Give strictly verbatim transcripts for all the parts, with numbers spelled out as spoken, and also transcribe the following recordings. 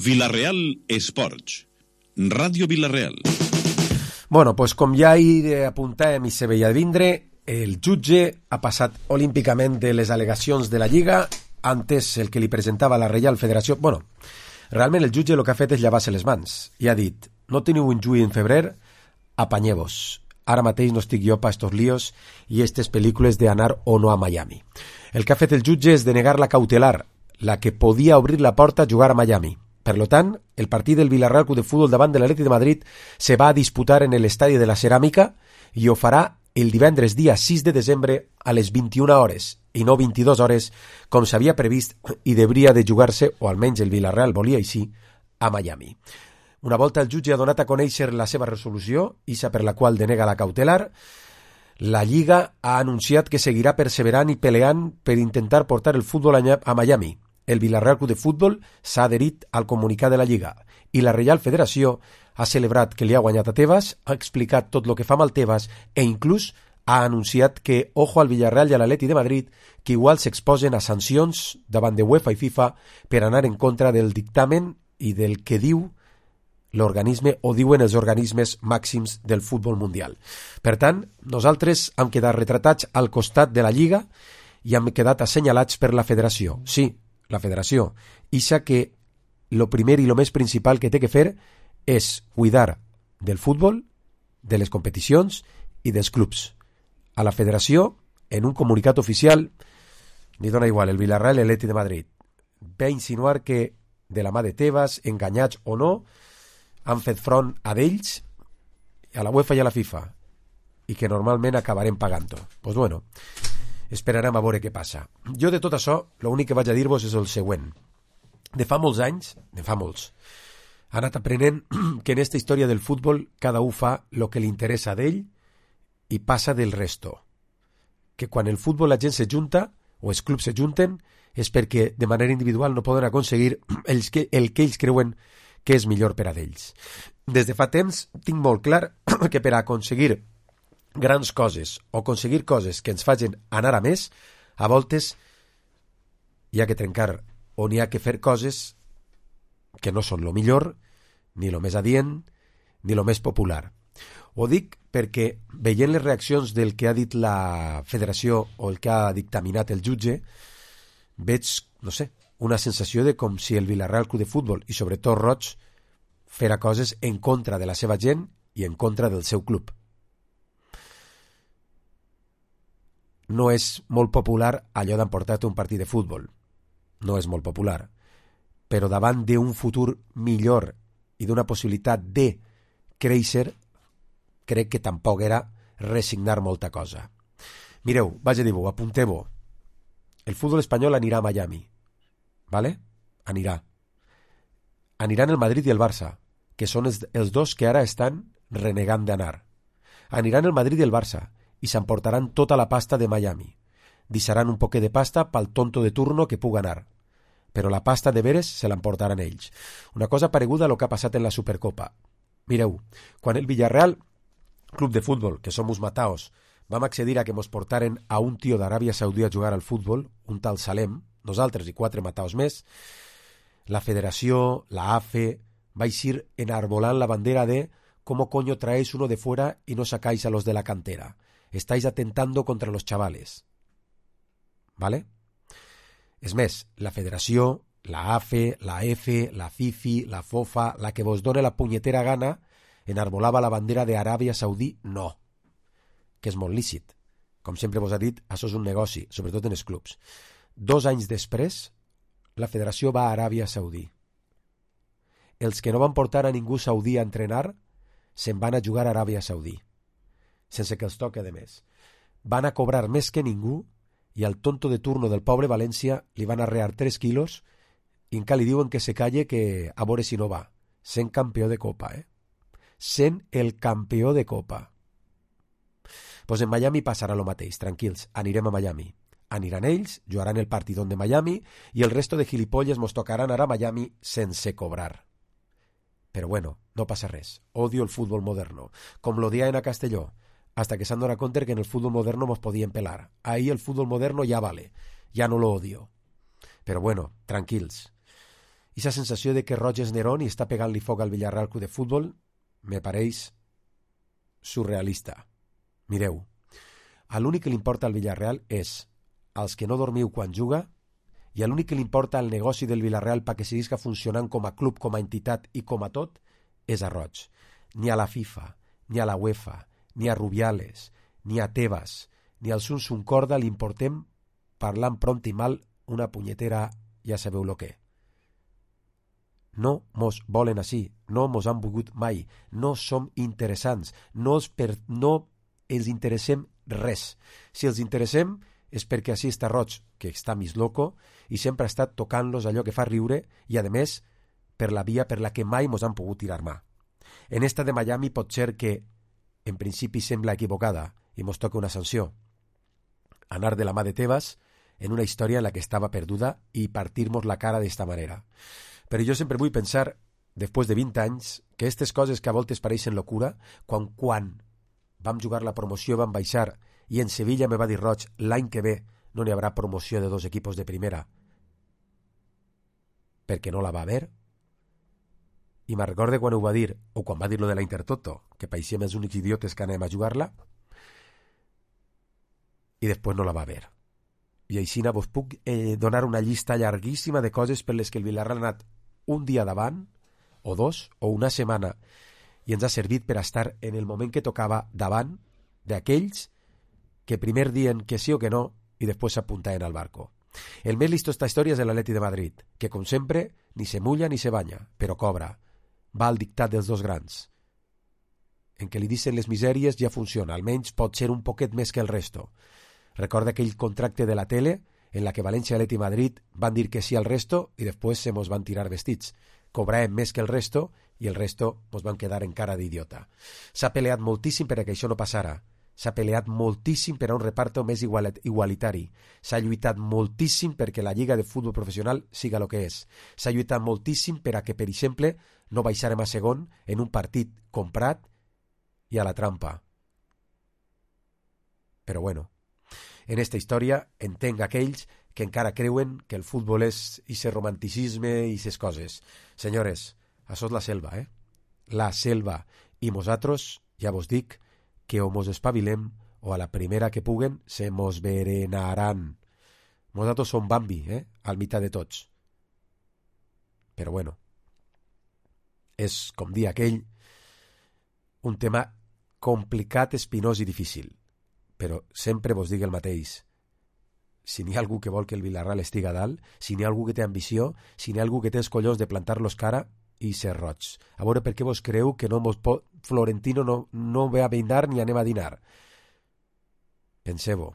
Vila-real Esports, Ràdio Vila-real. Bueno, pues com ja hi apuntàvem i se veia vindre, el jutge ha passat olímpicament de les al·legacions de la Lliga antes el que li presentava la Reial Federació. Bueno, realment el jutge el que ha fet és llevar-se les mans i ha dit, no teniu un juí en febrer, apanyeu-vos. Ara mateix no estic jo pa estos líos i estes pel·lícules d'anar o no a Miami. El que ha fet el jutge és denegar la cautelar, la que podia obrir la porta a jugar a Miami. Per lo tant, el partit del Villarreal Club de Fútbol davant de l'Atlètic de Madrid se va a disputar en l'estadi de la Ceràmica i ho farà el divendres dia sis de desembre a les vint-i-una hores i no vint-i-dues hores com s'havia previst i hauria de jugar-se, o almenys el Villarreal volia així, a Miami. Una volta el jutge ha donat a conèixer la seva resolució, isa per la qual denega la cautelar, la Lliga ha anunciat que seguirà perseverant i peleant per intentar portar el futbol a Miami. El Villarreal Club de Fútbol s'ha adherit al comunicat de la Lliga i la Reial Federació ha celebrat que li ha guanyat a Tebas, ha explicat tot el que fa mal Tebas e inclús ha anunciat que ojo al Villarreal i a l'Atlètic de Madrid que igual s'exposen a sancions davant de UEFA i FIFA per anar en contra del dictamen i del que diu l'organisme o diuen els organismes màxims del futbol mundial. Per tant, nosaltres hem quedat retratats al costat de la Lliga i hem quedat assenyalats per la Federació. Sí, la Federació, ixa que lo primer i lo més principal que té que fer és cuidar del futbol, de les competicions i dels clubs. A la Federació, en un comunicat oficial, li dona igual el Villarreal i l'Atlètic de Madrid. Ve a insinuar que, de la mà de Tebas, enganyats o no, han fet front a d'ells, a la UEFA i a la FIFA, i que normalment acabarem pagant-ho. Doncs pues bueno, esperarem a veure què passa. Jo de tot això, l'únic que vaig a dir-vos és el següent. De fa molts anys, de fa molts, he anat aprenent que en esta història del futbol cada un fa el que li interessa d'ell i passa del resto. Que quan el futbol la gent se junta, o els clubs se junten, és perquè de manera individual no poden aconseguir el que, el que ells creuen que és millor per a d'ells. Des de fa temps tinc molt clar que per a aconseguir grans coses o aconseguir coses que ens facin anar a més, a voltes hi ha que trencar o n'hi ha que fer coses que no són lo millor, ni lo més adient, ni lo més popular. Ho dic perquè veient les reaccions del que ha dit la Federació o el que ha dictaminat el jutge, veig, no sé, una sensació de com si el Villarreal Club de Futbol i sobretot Roig fera coses en contra de la seva gent i en contra del seu club. No és molt popular allò d'emportar-te un partit de futbol. No és molt popular. Però davant d'un futur millor i d'una possibilitat de créixer, crec que tampoc era resignar molta cosa. Mireu, vaig a dir-vos, apunteu-vos. El futbol espanyol anirà a Miami. ¿Vale? Anirà. Aniran el Madrid i el Barça, que són els, els dos que ara estan renegant d'anar. Aniran el Madrid i el Barça i s'emportaran tota la pasta de Miami. Deixaran un poquet de pasta pel tonto de turno que puga anar. Però la pasta de veres se l'emportaran ells. Una cosa pareguda a lo que ha passat en la Supercopa. Mireu, quan el Villarreal, club de futbol, que som uns mataos, vam accedir a que mos portaren a un tio d'Aràbia Saudí a jugar al futbol, un tal Salem, nosaltres i quatre mataos més, la Federació, la A F E, va eixir enarbolant la bandera de «¿Cómo coño traéis uno de fuera y no sacáis a los de la cantera? Estáis atentando contra los chavales». ¿Vale? És més, la Federació, la A F E, la F, la FIFA, la FOFA, la que vos done la punyetera gana, enarbolava la bandera d'Aràbia Saudí, no, que és molt lícit. Com sempre vos ha dit, això és un negoci, sobretot en els clubs. Dos anys després, la Federació va a Aràbia Saudí. Els que no van portar a ningú saudí a entrenar se'n van a jugar a Aràbia Saudí, sense que els toque de més. Van a cobrar més que ningú i al tonto de turno del pobre València li van arrear tres quilos i encara li diuen que se calle que a veure si no va. Sent campió de Copa, eh? Sent el campió de Copa. Pues en Miami passarà lo mateix, tranquils, anirem a Miami. Aniran ells, jugaran el partidón de Miami i el resto de gilipolles mos tocaran anar a Miami sense cobrar. Però bueno, no passa res. Odio el futbol moderno. Com l'odien a Castelló, hasta que s'han donat compte que en el futbol moderno mos podien pelar. Ahí el futbol moderno ya vale, ya no lo odio. Però bueno, tranquils. I la sensació de que Roig és Nerón i està pegant-li foc al Villarreal Club de Futbol me pareix surrealista. Mireu, a l'únic que li importa al Villarreal és als que no dormiu quan juga i a l'únic que li importa al negoci del Villarreal perquè seguisca funcionant com a club, com a entitat i com a tot és a Roig. Ni a la FIFA, ni a la UEFA, ni a Rubiales, ni a Tebas, ni al Sun Corda li importem parlant pront i mal una punyetera ja sabeu lo que. No mos volen així, no mos han volgut mai, no som interessants, no els, per, no els interessem res. Si els interessem és perquè així està Roig, que està més loco, i sempre ha estat tocant-los allò que fa riure i, a més, per la via per la que mai mos han pogut tirar mà. En esta de Miami pot ser que, en principi, sembla equivocada i mos toca una sanció. Anar de la mà de Tebas en una història en la que estava perduda i partir-nos la cara d'esta manera. Però jo sempre vull pensar, després de vint anys, que aquestes coses que a voltes pareixen locura, quan quan vam jugar la promoció, vam baixar, i en Sevilla me va dir Roig, l'any que ve no n'hi haurà promoció de dos equipos de primera, perquè no la va haver. I me'n recorde quan ho va dir, o quan va dir lo de la Intertoto, que pareixíem els únics idiotes que anem a jugar-la, i després no la va haver. I així vos puc eh, donar una llista llarguíssima de coses per les que el Villarreal ha anat un dia davant, o dos, o una setmana, i ens ha servit per estar en el moment que tocava davant d'aquells que primer dien que sí o que no i després s'apuntaven al barco. El més listo esta història és l'Atleti de Madrid, que com sempre ni se mulla ni se banya, però cobra. Va al dictat dels dos grans. En què li dicen les misèries ja funciona, almenys pot ser un poquet més que el resto. Recorda aquell contracte de la tele en la que València, Atleti i Madrid van dir que sí al resto i després se mos van tirar vestits. Cobràvem més que el resto i el resto mos van quedar en cara d'idiota. S'ha peleat moltíssim per a que això no passara. S'ha peleat moltíssim per a un reparto més igualitari. S'ha lluitat moltíssim perquè la Lliga de Futbol Professional siga el que és. S'ha lluitat moltíssim per a que, per exemple, no baixarem a segon en un partit comprat i a la trampa. Però bueno, en esta història entenc aquells que encara creuen que el futbol és ixe romanticisme i ixes coses. Senyores, això és la selva, eh? La selva. I nosaltres, ja vos dic, que o mos espavilem o a la primera que puguen se mos berenaran. Nosaltres som Bambi, eh? Al mitjà de tots. Però bueno, és, com dir aquell, un tema complicat, espinós i difícil. Però sempre vos dic el mateix. Si n'hi ha algú que vol que el Villarreal estiga a dalt, si n'hi ha algú que té ambició, si n'hi ha algú que té els collons de plantar-los cara i ser roig. A veure per què vos creu que no mos pot, Florentino no, no ve a dinar ni anem a dinar. Penseu-ho.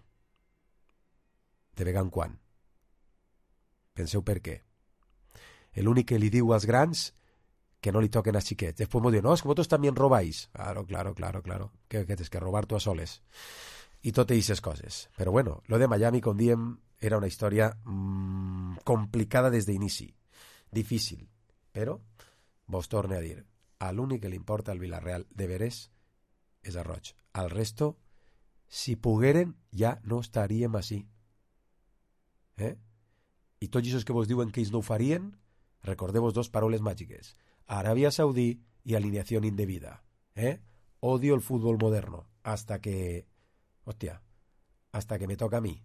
De vegada en quan. Penseu per què. L'únic que li diu als grans que no li toquen a xiquets. Després m'ho diu, no, és que vosaltres també robáis. Claro, claro, claro, claro. Que, que tens que robar tu a soles. I tot aquestes coses. Però bueno, lo de Miami, com diem, era una història mmm, complicada des d'inici. Difícil. Però, vos torne a dir, a l'únic que li importa al Villarreal de veres és a Roig. Al resto, si pogueren, ja no estaríem així. Eh? I tots aquests que vos diuen que ells no ho farien, recordeu-vos dos paraules màgiques. Arabia Saudí y alineación indebida. ¿Eh? Odio el fútbol moderno. Hasta que... Hostia. Hasta que me toca a mí.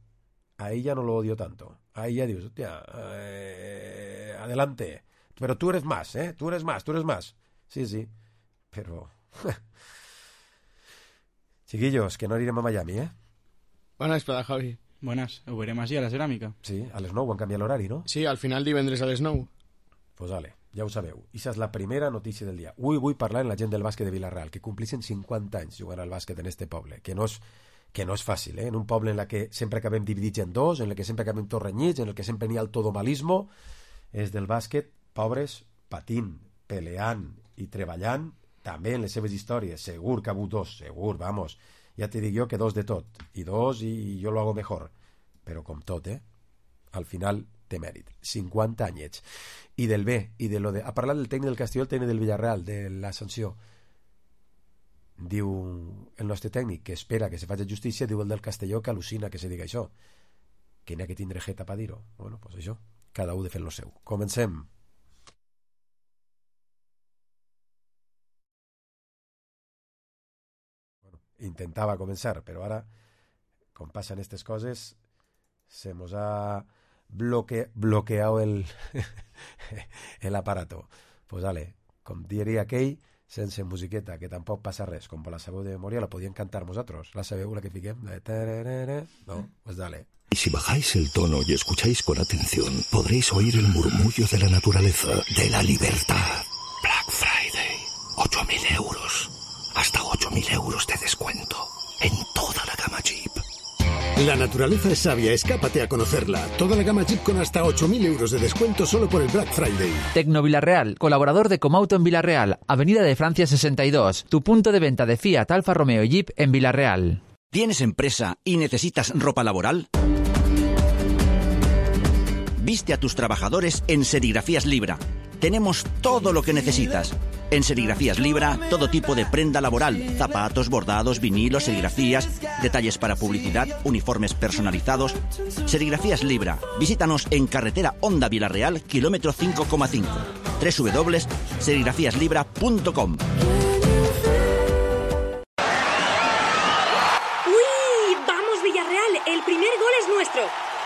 A ella no lo odio tanto. A ella dios, hostia, eh, adelante. Pero tú eres más, ¿eh? Tú eres más, tú eres más. Sí, sí. Pero... Chiquillos, que no irem a Miami, ¿eh? Bona vesprada, Javi. Buenas, ho veurem així a la ceràmica. Sí, a les nou han canviat l'horari, no? Sí, al final divendres a les nou. Pues vale, ja ho sabeu. Ixa és la primera notícia del dia. Avui vull parlar amb la gent del bàsquet de Villarreal, que complixen cinquanta anys jugant al bàsquet en este poble, que no és, que no és fàcil, eh? En un poble en la que sempre acabem dividits en dos, en el que sempre acabem tots renyits, en el que sempre n'hi ha el todomalismo, és del bàsquet, pobres, patint, peleant i treballant, també en les seves històries. Segur que ha hagut dos, segur, vamos. Ja te dic jo que dos de tot, i dos i jo lo hago mejor. Però com tot, eh? Al final té mèrit. cinquanta anyets. I del bé, i de lo de... Ha parlat del tècnic del Castelló, el tècnic del Villarreal, de la sanció. Diu el nostre tècnic que espera que se faci justícia, diu el del Castelló que al·lucina que se diga això. Que n'hi ha que tindre jeta per dir-ho. Bueno, pues això, cada un de fer lo seu. Comencem. intentaba comenzar, pero ahora, como pasan estas cosas, se nos ha bloque, bloqueado el, el aparato. Pues dale, com diria aquell, sense musiqueta, que tampoc passa res, com per la sabeu de memòria, la podíem cantar vosaltres. La sabeu, la que fiquem? La de tararara. No, pues dale. Y si bajáis el tono y escucháis con atención, podréis oír el murmullo de la naturaleza, de la libertad. Black Friday, ocho mil euros. Hasta ocho mil euros de descuento en toda la gama Jeep. La naturaleza es sabia, escápate a conocerla. Toda la gama Jeep con hasta ocho mil euros de descuento solo por el Black Friday. Tecno Villarreal, colaborador de Comauto en Villarreal, Avenida de Francia sesenta y dos, tu punto de venta de Fiat, Alfa Romeo y Jeep en Villarreal. ¿Tienes empresa y necesitas ropa laboral? Viste a tus trabajadores en Serigrafías Libra. Tenemos todo lo que necesitas. En Serigrafías Libra, todo tipo de prenda laboral, zapatos, bordados, vinilos, serigrafías, detalles para publicidad, uniformes personalizados. Serigrafías Libra. Visítanos en carretera Honda Villarreal, kilómetro cinco coma cinco. doble u doble u doble u punto serigrafías libra punto com. ¡Uy! ¡Vamos, Villarreal! El primer gol es nuestro.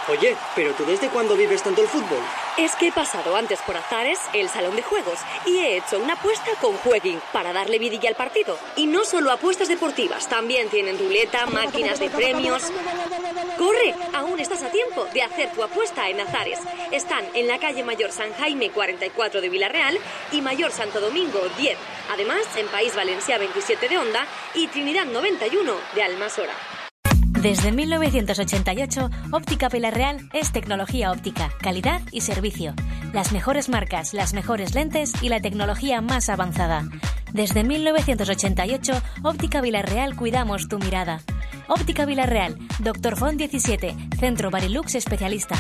Oye, ¿pero tú desde cuándo vives tanto el fútbol? Es que he pasado antes por Azares, el salón de juegos, y he hecho una apuesta con Jueguin para darle vidilla al partido. Y no solo apuestas deportivas, también tienen ruleta, máquinas de premios. ¡Corre! Aún estás a tiempo de hacer tu apuesta en Azares. Están en la calle Mayor San Jaime cuarenta y cuatro de Villarreal y Mayor Santo Domingo diez. Además, en País Valencia veintisiete de Honda y Trinidad noventa y uno de Almasora. Desde mil novecientos ochenta y ocho, Óptica Villarreal es tecnología óptica, calidad y servicio. Las mejores marcas, las mejores lentes y la tecnología más avanzada. Desde mil novecientos ochenta y ocho, Óptica Villarreal cuidamos tu mirada. Óptica Villarreal, Doctor Font diecisiete, Centro Barilux especialista.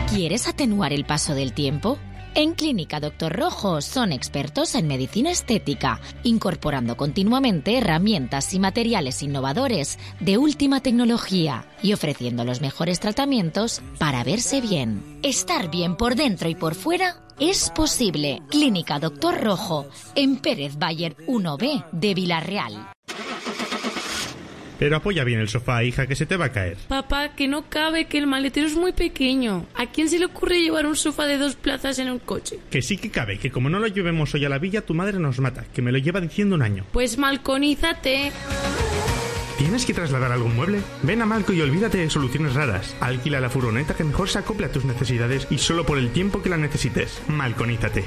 ¿Quieres atenuar el paso del tiempo? En Clínica Doctor Rojo son expertos en medicina estética, incorporando continuamente herramientas y materiales innovadores de última tecnología y ofreciendo los mejores tratamientos para verse bien. Estar bien por dentro y por fuera es posible. Clínica Doctor Rojo, en Pérez Bayer uno B de Villarreal. Pero apoya bien el sofá, hija, que se te va a caer. Papá, que no cabe, que el maletero es muy pequeño. ¿A quién se le ocurre llevar un sofá de dos plazas en un coche? Que sí que cabe, que como no lo llevemos hoy a la villa, tu madre nos mata, que me lo lleva diciendo un año. Pues malconízate. ¿Tienes que trasladar algún mueble? Ven a Malco y olvídate de soluciones raras. Alquila la furgoneta que mejor se acople a tus necesidades y solo por el tiempo que la necesites. Malconízate.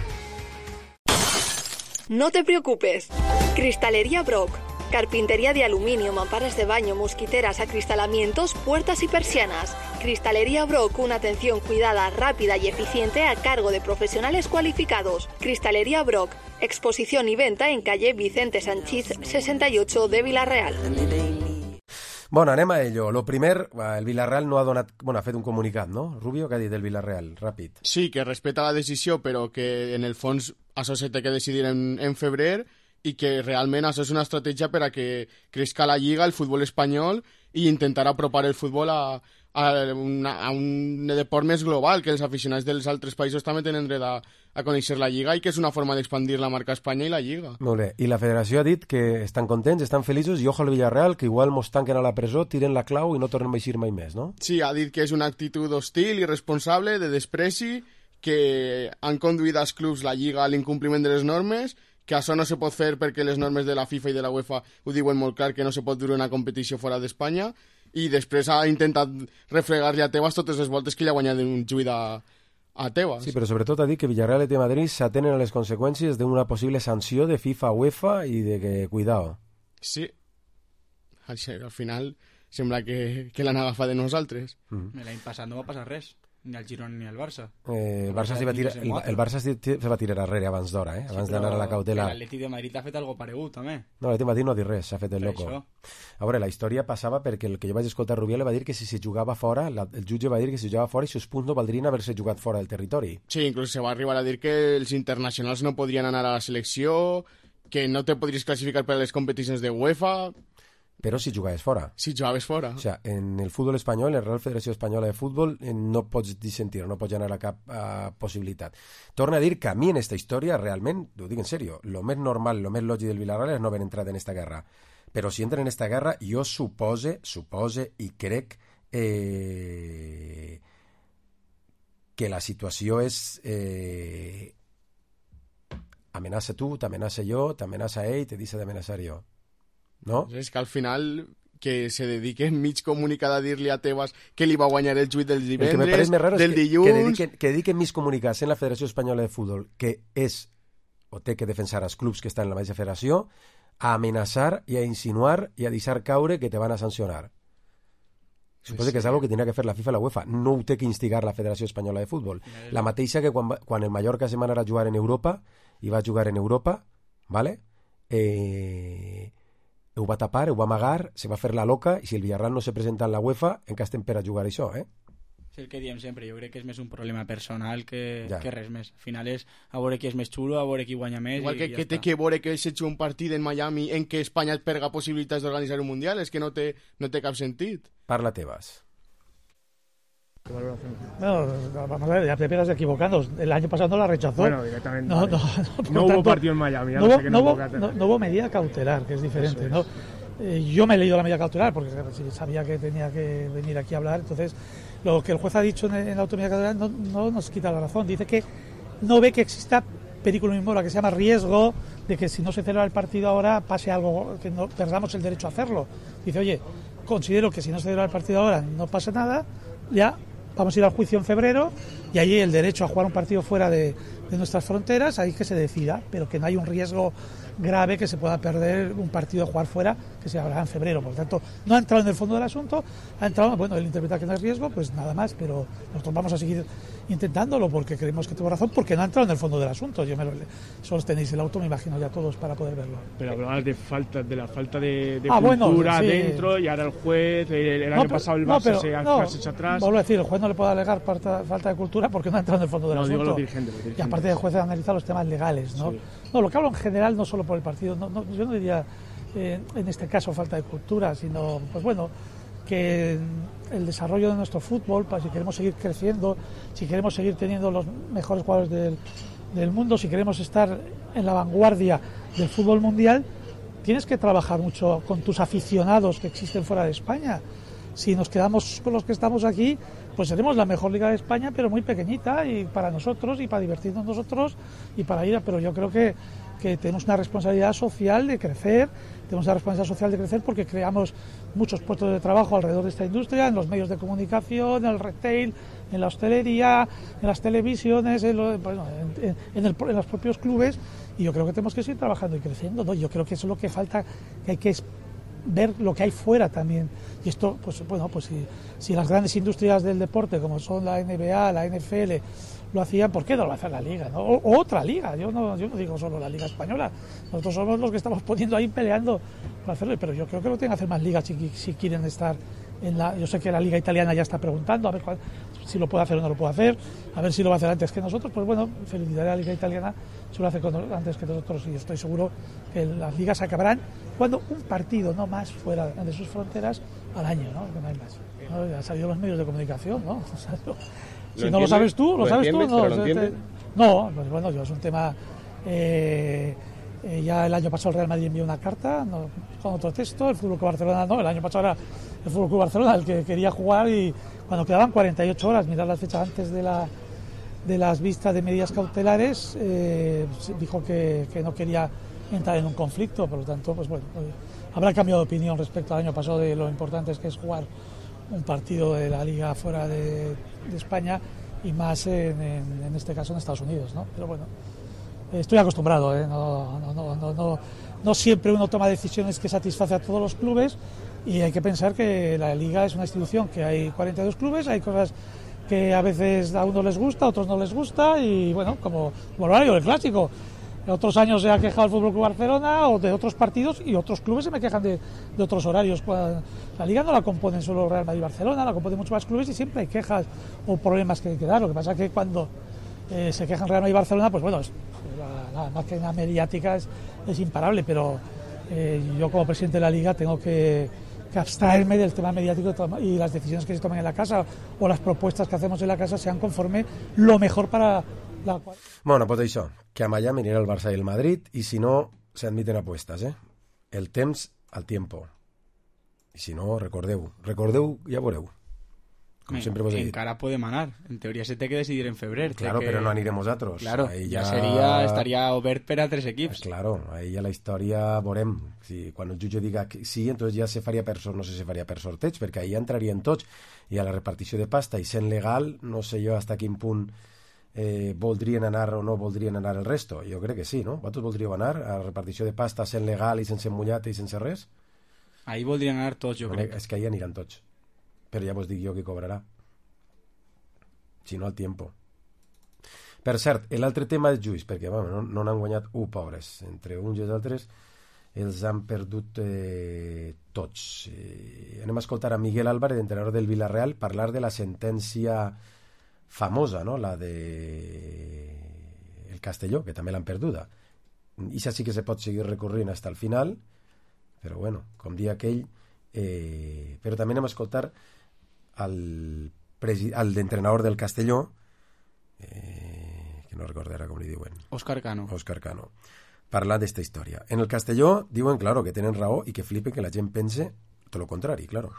No te preocupes. Cristalería Brock. Carpintería de aluminio, mamparas de baño, mosquiteras, acristalamientos, puertas y persianas. Cristalería Brock, una atención cuidada, rápida y eficiente a cargo de profesionales cualificados. Cristalería Brock, exposición y venta en calle Vicente Sanchís sesenta y ocho de Villarreal. Bueno, anem a ello. Lo primer, el Villarreal no ha donat... Bueno, ha fet un comunicat, no? Rubio, què ha dit del Villarreal? Ràpid. Sí, que respeta la decisió, però que en el fons això se té que decidir en, en febrer i que realment això és una estratègia per a que crezca la Lliga, el futbol espanyol, i intentar apropar el futbol a, a, una, a un deport més global, que els aficionats dels altres països també tenen dret a, a conèixer la Lliga i que és una forma d'expandir la marca Espanya i la Lliga. Molt bé. I la federació ha dit que estan contents, estan feliços i ojo al Villarreal, que igual mos tanquen a la presó, tiren la clau i no tornem a eixir mai més, no? Sí, ha dit que és una actitud hostil, irresponsable, de despreci, que han conduït als clubs la Lliga a l'incompliment de les normes, que això no se pot fer perquè les normes de la FIFA i de la UEFA ho diuen molt clar, que no se pot dur una competició fora d'Espanya, i després ha intentat refregar-li a Tebas totes les voltes que li ha guanyat un juit a, a Tebas. Sí, però sobretot ha dit que Villarreal i de Madrid s'atenen a les conseqüències d'una possible sanció de FIFA, UEFA i de que, cuidao. Sí, al final sembla que, que l'han agafat de nosaltres. Mm. L'any passat no va passar res. Ni al Girona ni al Barça. Eh, el, Barça va tirar, el, el Barça se va tirar darrere abans d'hora, eh? abans sí, d'anar a la cautela. L'Atleti de Madrid ha fet algo paregut, també. No, l'Atleti de Madrid no ha dit res, s'ha fet el loco. Això. A veure, la història passava perquè el que jo vaig escoltar Rubiales va dir que si se jugava fora, la, el jutge va dir que si jugava fora i sus punts no valdrien haver-se jugat fora del territori. Sí, inclús se va arribar a dir que els internacionals no podrien anar a la selecció, que no te podries classificar per a les competicions de UEFA. però si jugaves fora. Si jugaves fora. O sigui, en el futbol espanyol, en la Real Federació Espanyola de Futbol, no pots dissentir, no pots anar a cap uh, possibilitat. Torna a dir que a mi en esta història, realment, ho dic en sèrio, lo més normal, lo més lògic del Villarreal és no haver entrat en esta guerra. Però si entren en esta guerra, jo supose, supose i crec eh, que la situació és... Eh, amenaça tu, t'amenaça jo, t'amenaça ell, te deixa d'amenaçar jo. No? És que al final que se dediquen mig comunicada a dir-li a Tebas que li va guanyar el juit del divendres, del que, dilluns... Que dediquen, que dediquen mig comunicats en la Federació Espanyola de Futbol, que és, o té que defensar els clubs que estan en la mateixa federació, a amenaçar i a insinuar i a deixar caure que te van a sancionar. Suposo sí, que és algo que tenia que fer la FIFA i la UEFA. No ho té que instigar la Federació Espanyola de Futbol. La mateixa que quan, quan el Mallorca se'n va anar a jugar en Europa, i va jugar en Europa, ¿vale? Eh, ho va tapar, ho va amagar, se va fer la loca, i si el Villarreal no se presenta en la UEFA, encara estem per a jugar això, eh? És el que diem sempre, jo crec que és més un problema personal que, ja. que res més. Al final és a veure qui és més xulo, a veure qui guanya més. Igual que, i que ja té està. que veure que s'ha hecho un partit en Miami en què Espanya et perga possibilitats d'organitzar un Mundial, és que no té, no té cap sentit. Parla Tebas. Bueno, vamos a ver, ya te empiezas equivocando. El año pasado no la rechazó. Bueno, directamente. No, Vale. no, no, no hubo tanto, partido en Miami. Ya no, no, hubo, sé que no, no, hubo, no, no hubo medida cautelar, que es diferente, ¿no? Eh, yo me he leído la medida cautelar porque sabía que tenía que venir aquí a hablar. Entonces, lo que el juez ha dicho en, en la autonomía cautelar no, no nos quita la razón. Dice que no ve que exista película mismo, la que se llama riesgo de que si no se celebra el partido ahora pase algo, que no perdamos el derecho a hacerlo. Dice, oye, considero que si no se celebra el partido ahora no pasa nada, ya vamos a ir al juicio en febrero y allí el derecho a jugar un partido fuera de, de nuestras fronteras, ahí que se decida, pero que no hay un riesgo grave que se pueda perder un partido a jugar fuera, que se hablará en febrero. Por lo tanto, no ha entrado en el fondo del asunto, ha entrado, bueno, él interpreta que no hay riesgo, pues nada más, pero nosotros vamos a seguir intentándolo porque creemos que tuvo razón, porque no ha entrado en el fondo del asunto. Yo me lo, solo tenéis el auto, me imagino ya todos para poder verlo. Pero hablabas de falta, de la falta de, de ah, cultura bueno, sí. dentro, y ahora el juez, el, el no, año pero, pasado el no, Barça pero, se ha no, hecho atrás. Vuelvo a decir, el juez no le puede alegar falta, falta de cultura porque no ha entrado en el fondo del no, asunto. Digo los dirigentes, los dirigentes. Y aparte el juez ha analizado los temas legales, ¿no? Sí. No, lo que hablo en general, no solo por el partido, no, no, yo no diría eh, en este caso falta de cultura, sino, pues bueno, que el desarrollo de nuestro fútbol, para si queremos seguir creciendo, si queremos seguir teniendo los mejores jugadores del, del mundo, si queremos estar en la vanguardia del fútbol mundial, tienes que trabajar mucho con tus aficionados que existen fuera de España. Si nos quedamos con los que estamos aquí, pues seremos la mejor liga de España, pero muy pequeñita, y para nosotros, y para divertirnos nosotros, y para ir a... Pero yo creo que, que tenemos una responsabilidad social de crecer, tenemos una responsabilidad social de crecer porque creamos muchos puestos de trabajo alrededor de esta industria, en los medios de comunicación, en el retail, en la hostelería, en las televisiones, en, lo, bueno, en, en, en, el, en los propios clubes, y yo creo que tenemos que seguir trabajando y creciendo, ¿no? Yo creo que eso es lo que falta, que hay que ver lo que hay fuera también. Y esto, pues bueno, pues si, si las grandes industrias del deporte, como son la N B A, la N F L, lo hacían, ¿por qué no lo va a hacer la Liga, ¿no? O, o otra liga, yo no, yo no digo solo la Liga Española, nosotros somos los que estamos poniendo ahí peleando para hacerlo, pero yo creo que lo tienen que hacer más ligas si, si quieren estar en la... Yo sé que la Liga Italiana ya está preguntando a ver cuál, si lo puede hacer o no lo puede hacer, a ver si lo va a hacer antes que nosotros. Pues bueno, felicidad a la Liga Italiana, si lo hace antes que nosotros, y estoy seguro que las ligas acabarán cuando un partido, no más, fuera de sus fronteras al año, ¿no? Que no hay más. ¿No? Ya han salido los medios de comunicación, ¿no? O sea, no. Si no lo sabes tú, lo, lo sabes tú. No, lo te, no, pues bueno, yo es un tema... Eh, eh, ya el año pasado el Real Madrid envió una carta, no, con otro texto, el Fútbol Club Barcelona no, el año pasado era el Fútbol Club Barcelona el que quería jugar, y cuando quedaban cuarenta y ocho horas, mirar las fechas antes de la de las vistas de medidas cautelares, eh, dijo que, que no quería entrar en un conflicto, por lo tanto, pues bueno, habrá cambiado de opinión respecto al año pasado de lo importante que es jugar un partido de la Liga fuera de, de España, y más en, en, en este caso en Estados Unidos, ¿no? Pero bueno, estoy acostumbrado, ¿eh? no, no, no, no, no, no siempre uno toma decisiones que satisface a todos los clubes, y hay que pensar que la Liga es una institución que hay cuarenta y dos clubes, hay cosas que a veces a unos les gusta, a otros no les gusta, y bueno, como, como el horario del clásico. Otros años se ha quejado el Fútbol Club Barcelona o de otros partidos, y otros clubes se me quejan de, de otros horarios. La Liga no la componen solo Real Madrid y Barcelona, la componen muchos más clubes, y siempre hay quejas o problemas que hay que dar. Lo que pasa es que cuando eh, se quejan Real Madrid y Barcelona, pues bueno, es, la, la máquina mediática es, es imparable, pero eh, yo como presidente de la Liga tengo que, que abstraerme del tema mediático y las decisiones que se tomen en la casa o las propuestas que hacemos en la casa sean conforme lo mejor para la... Bueno, pues això, que a Miami anirà el Barça i el Madrid i si no, se admiten apuestas, eh? El temps al tiempo. I si no, recordeu, recordeu, ja veureu. Com Me, sempre vos he dit. Encara podem anar. En teoria se té que decidir en febrer. Claro, que... però no anirem nosaltres. Claro, ahí ja ja seria, estaria obert per a tres equips. Pues claro, ahí ja la història veurem. Si, quan el jutge diga que sí, entonces ja se faria per sort, no sé si se faria per sorteig, perquè ahí ja entrarien tots. I a la repartició de pasta, i sent legal, no sé jo hasta quin punt eh, voldrien anar o no voldrien anar el resto. Jo crec que sí, no? Vosaltres voldríeu anar a la repartició de pasta sent legal i sense mullat i sense res? Ahí voldrien anar tots, jo crec. És que ahí aniran tots. Però ja vos dic jo qui cobrarà. Si no, al tiempo. Per cert, l'altre tema és Lluís, perquè bueno, no, no n'han guanyat un, pobres. Entre uns i els altres els han perdut eh, tots. Eh, anem a escoltar a Miguel Álvarez, entrenador del Villarreal, parlar de la sentència famosa, no? La de el Castelló, que també l'han perduda. I sí que se pot seguir recorrent fins al final, però bueno, com dia aquell, eh, però també anem a escoltar al al d'entrenador del Castelló, eh, que no recordarà com li diuen. Òscar Cano. Òscar Cano. Parla d'esta història. En el Castelló diuen, claro, que tenen raó i que flipe que la gent pense tot lo contrari, claro.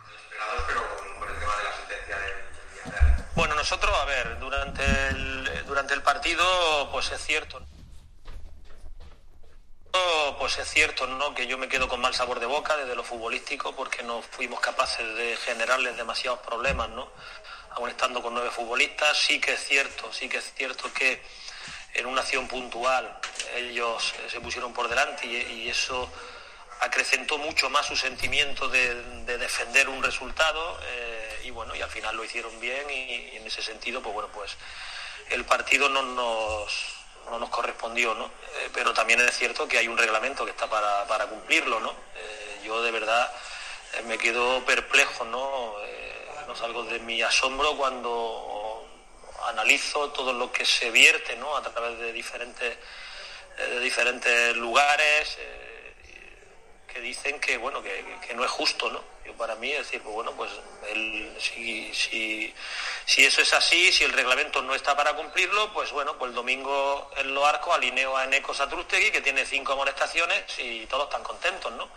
Bueno, nosotros, a ver, durante el, durante el partido, pues es cierto... Pues es cierto, ¿no?, que yo me quedo con mal sabor de boca desde lo futbolístico porque no fuimos capaces de generarles demasiados problemas, ¿no? Aún estando con nueve futbolistas, sí que es cierto, sí que es cierto que en una acción puntual ellos se pusieron por delante y, y eso acrecentó mucho más su sentimiento de, de defender un resultado eh, y bueno, y al final lo hicieron bien y, y en ese sentido, pues bueno, pues el partido no nos... no nos correspondió, ¿no? Eh, pero también es cierto que hay un reglamento que está para, para cumplirlo, ¿no? Eh, yo de verdad eh, me quedo perplejo, ¿no? Eh, no salgo de mi asombro cuando analizo todo lo que se vierte, ¿no?, a través de diferentes, eh, de diferentes lugares eh, que dicen que, bueno, que, que no es justo, ¿no? Yo para mí, es decir, pues bueno, pues el, si, si, si eso es así, si el reglamento no está para cumplirlo, pues bueno, pues el domingo en los arcos alineo a Eneco Satrústegui, que tiene cinco amonestaciones y todos están contentos, ¿no?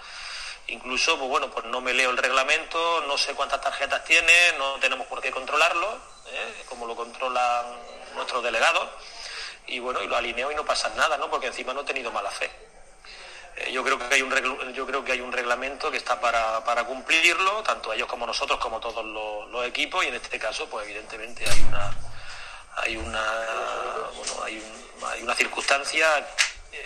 Incluso, pues bueno, pues no me leo el reglamento, no sé cuántas tarjetas tiene, no tenemos por qué controlarlo, ¿eh?, como lo controlan nuestros delegados, y bueno, y lo alineo y no pasa nada, ¿no?, porque encima no he tenido mala fe. Yo creo que hay un regl- yo creo que hay un reglamento que está para, para cumplirlo, tanto ellos como nosotros, como todos los, los equipos, y en este caso, pues evidentemente hay una hay una bueno, hay, un, hay una circunstancia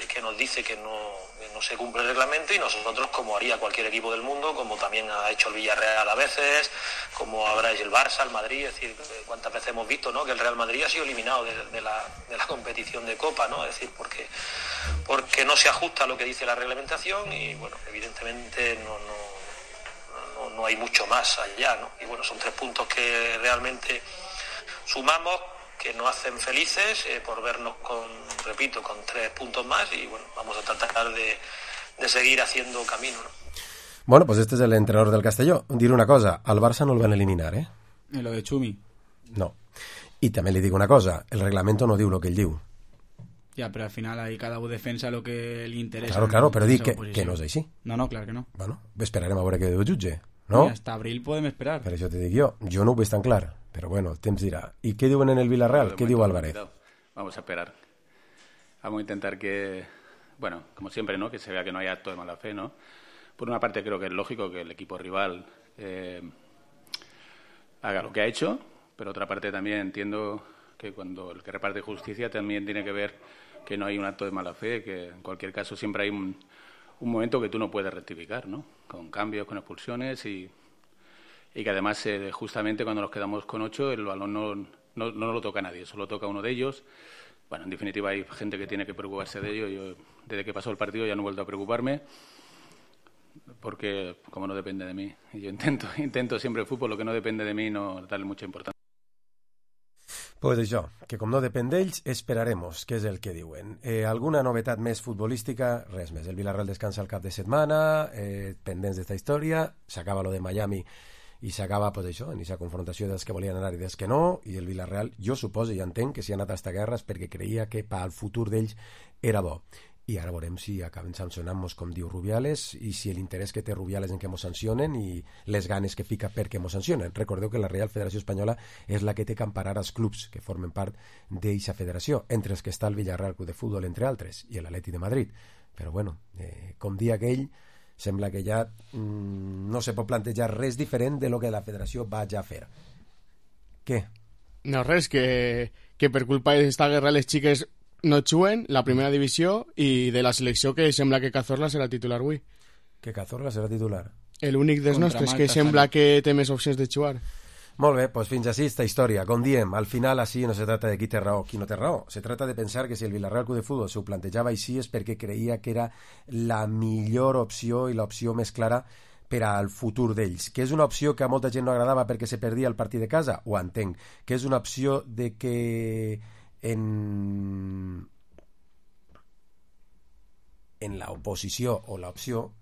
que nos dice que no, que no se cumple el reglamento, y nosotros, como haría cualquier equipo del mundo, como también ha hecho el Villarreal a veces, como habrá hecho el Barça, el Madrid, es decir, cuántas veces hemos visto, ¿no?, que el Real Madrid ha sido eliminado de, de, la, de la competición de Copa, ¿no? Es decir, porque porque no se ajusta a lo que dice la reglamentación y bueno, evidentemente no, no, no, no hay mucho más allá, ¿no? Y bueno, son tres puntos que realmente sumamos, que nos hacen felices eh, por vernos con, repito, con tres puntos más, y bueno, vamos a tratar de, de seguir haciendo camino, ¿no? Bueno, pues este es el entrenador del Castelló. Dir una cosa, al Barça no el van eliminar, ¿eh? En lo de Chumi. No. I també li dic una cosa, el reglamento no diu el que ell diu. Ja, però al final ahí cada un defensa lo que li interessa. Claro, claro, però dic que, que no és així. No, no, clar que no. Bueno, esperarem a veure què diu el jutge, no? I hasta abril podem esperar. Per això te dic jo, jo no ho veig tan clar, però bueno, el temps dirà. I què diuen en el Villarreal? ¿Qué diu Álvarez? Vamos a esperar. Vamos a intentar que, bueno, como siempre, ¿no?, que se vea que no hay acto de mala fe, ¿no? Por una parte creo que es lógico que el equipo rival eh, haga lo que ha hecho, pero otra parte también entiendo que cuando el que reparte justicia también tiene que ver que no hay un acto de mala fe, que en cualquier caso siempre hay un, un momento que tú no puedes rectificar, ¿no?, con cambios, con expulsiones, y, y que además eh, justamente cuando nos quedamos con ocho el balón no, no, no lo toca a nadie, solo toca a uno de ellos. Bueno, en definitiva hay gente que tiene que preocuparse de ello. Yo desde que pasó el partido ya no he vuelto a preocuparme, porque como no depende de mí, yo intento, intento siempre el fútbol, lo que no depende de mí, no darle mucha importancia. Pues això, que com no depèn d'ells, esperaremos, que és el que diuen. Eh, alguna novetat més futbolística? Res més. El Villarreal descansa el cap de setmana, eh, pendents d'esta història, s'acaba lo de Miami i s'acaba, pues això, en aquesta confrontació dels que volien anar i dels que no, i el Villarreal, jo suposo i entenc que si ha anat a esta guerra és perquè creia que pel futur d'ells era bo. I ara veurem si acaben sancionant-nos, com diu Rubiales, i si l'interès que té Rubiales en que mos sancionen i les ganes que fica perquè mos sancionen. Recordeu que la Real Federació Espanyola és la que té que emparar els clubs que formen part d'eixa federació, entre els que està el Villarreal Club de Futbol, entre altres, i l'Atleti de Madrid. Però bueno, eh, com dia aquell, sembla que ja mmm, no se pot plantejar res diferent de lo que la federació va ja fer. Què? No, res, que, que per culpa d'esta guerra les xiques no juguen la primera divisió i de la selecció que sembla que Cazorla serà titular avui. Que Cazorla serà titular? L'únic dels nostres que sembla que té més opcions de jugar. Molt bé, doncs fins així esta història. Com diem, al final així no se trata de qui té raó, qui no té raó. Se trata de pensar que si el Villarreal Club de Futbol s'ho plantejava així és perquè creia que era la millor opció i l'opció més clara per al futur d'ells. Que és una opció que a molta gent no agradava perquè se perdia el partit de casa? Ho entenc. Que és una opció de que en en la oposició o la opció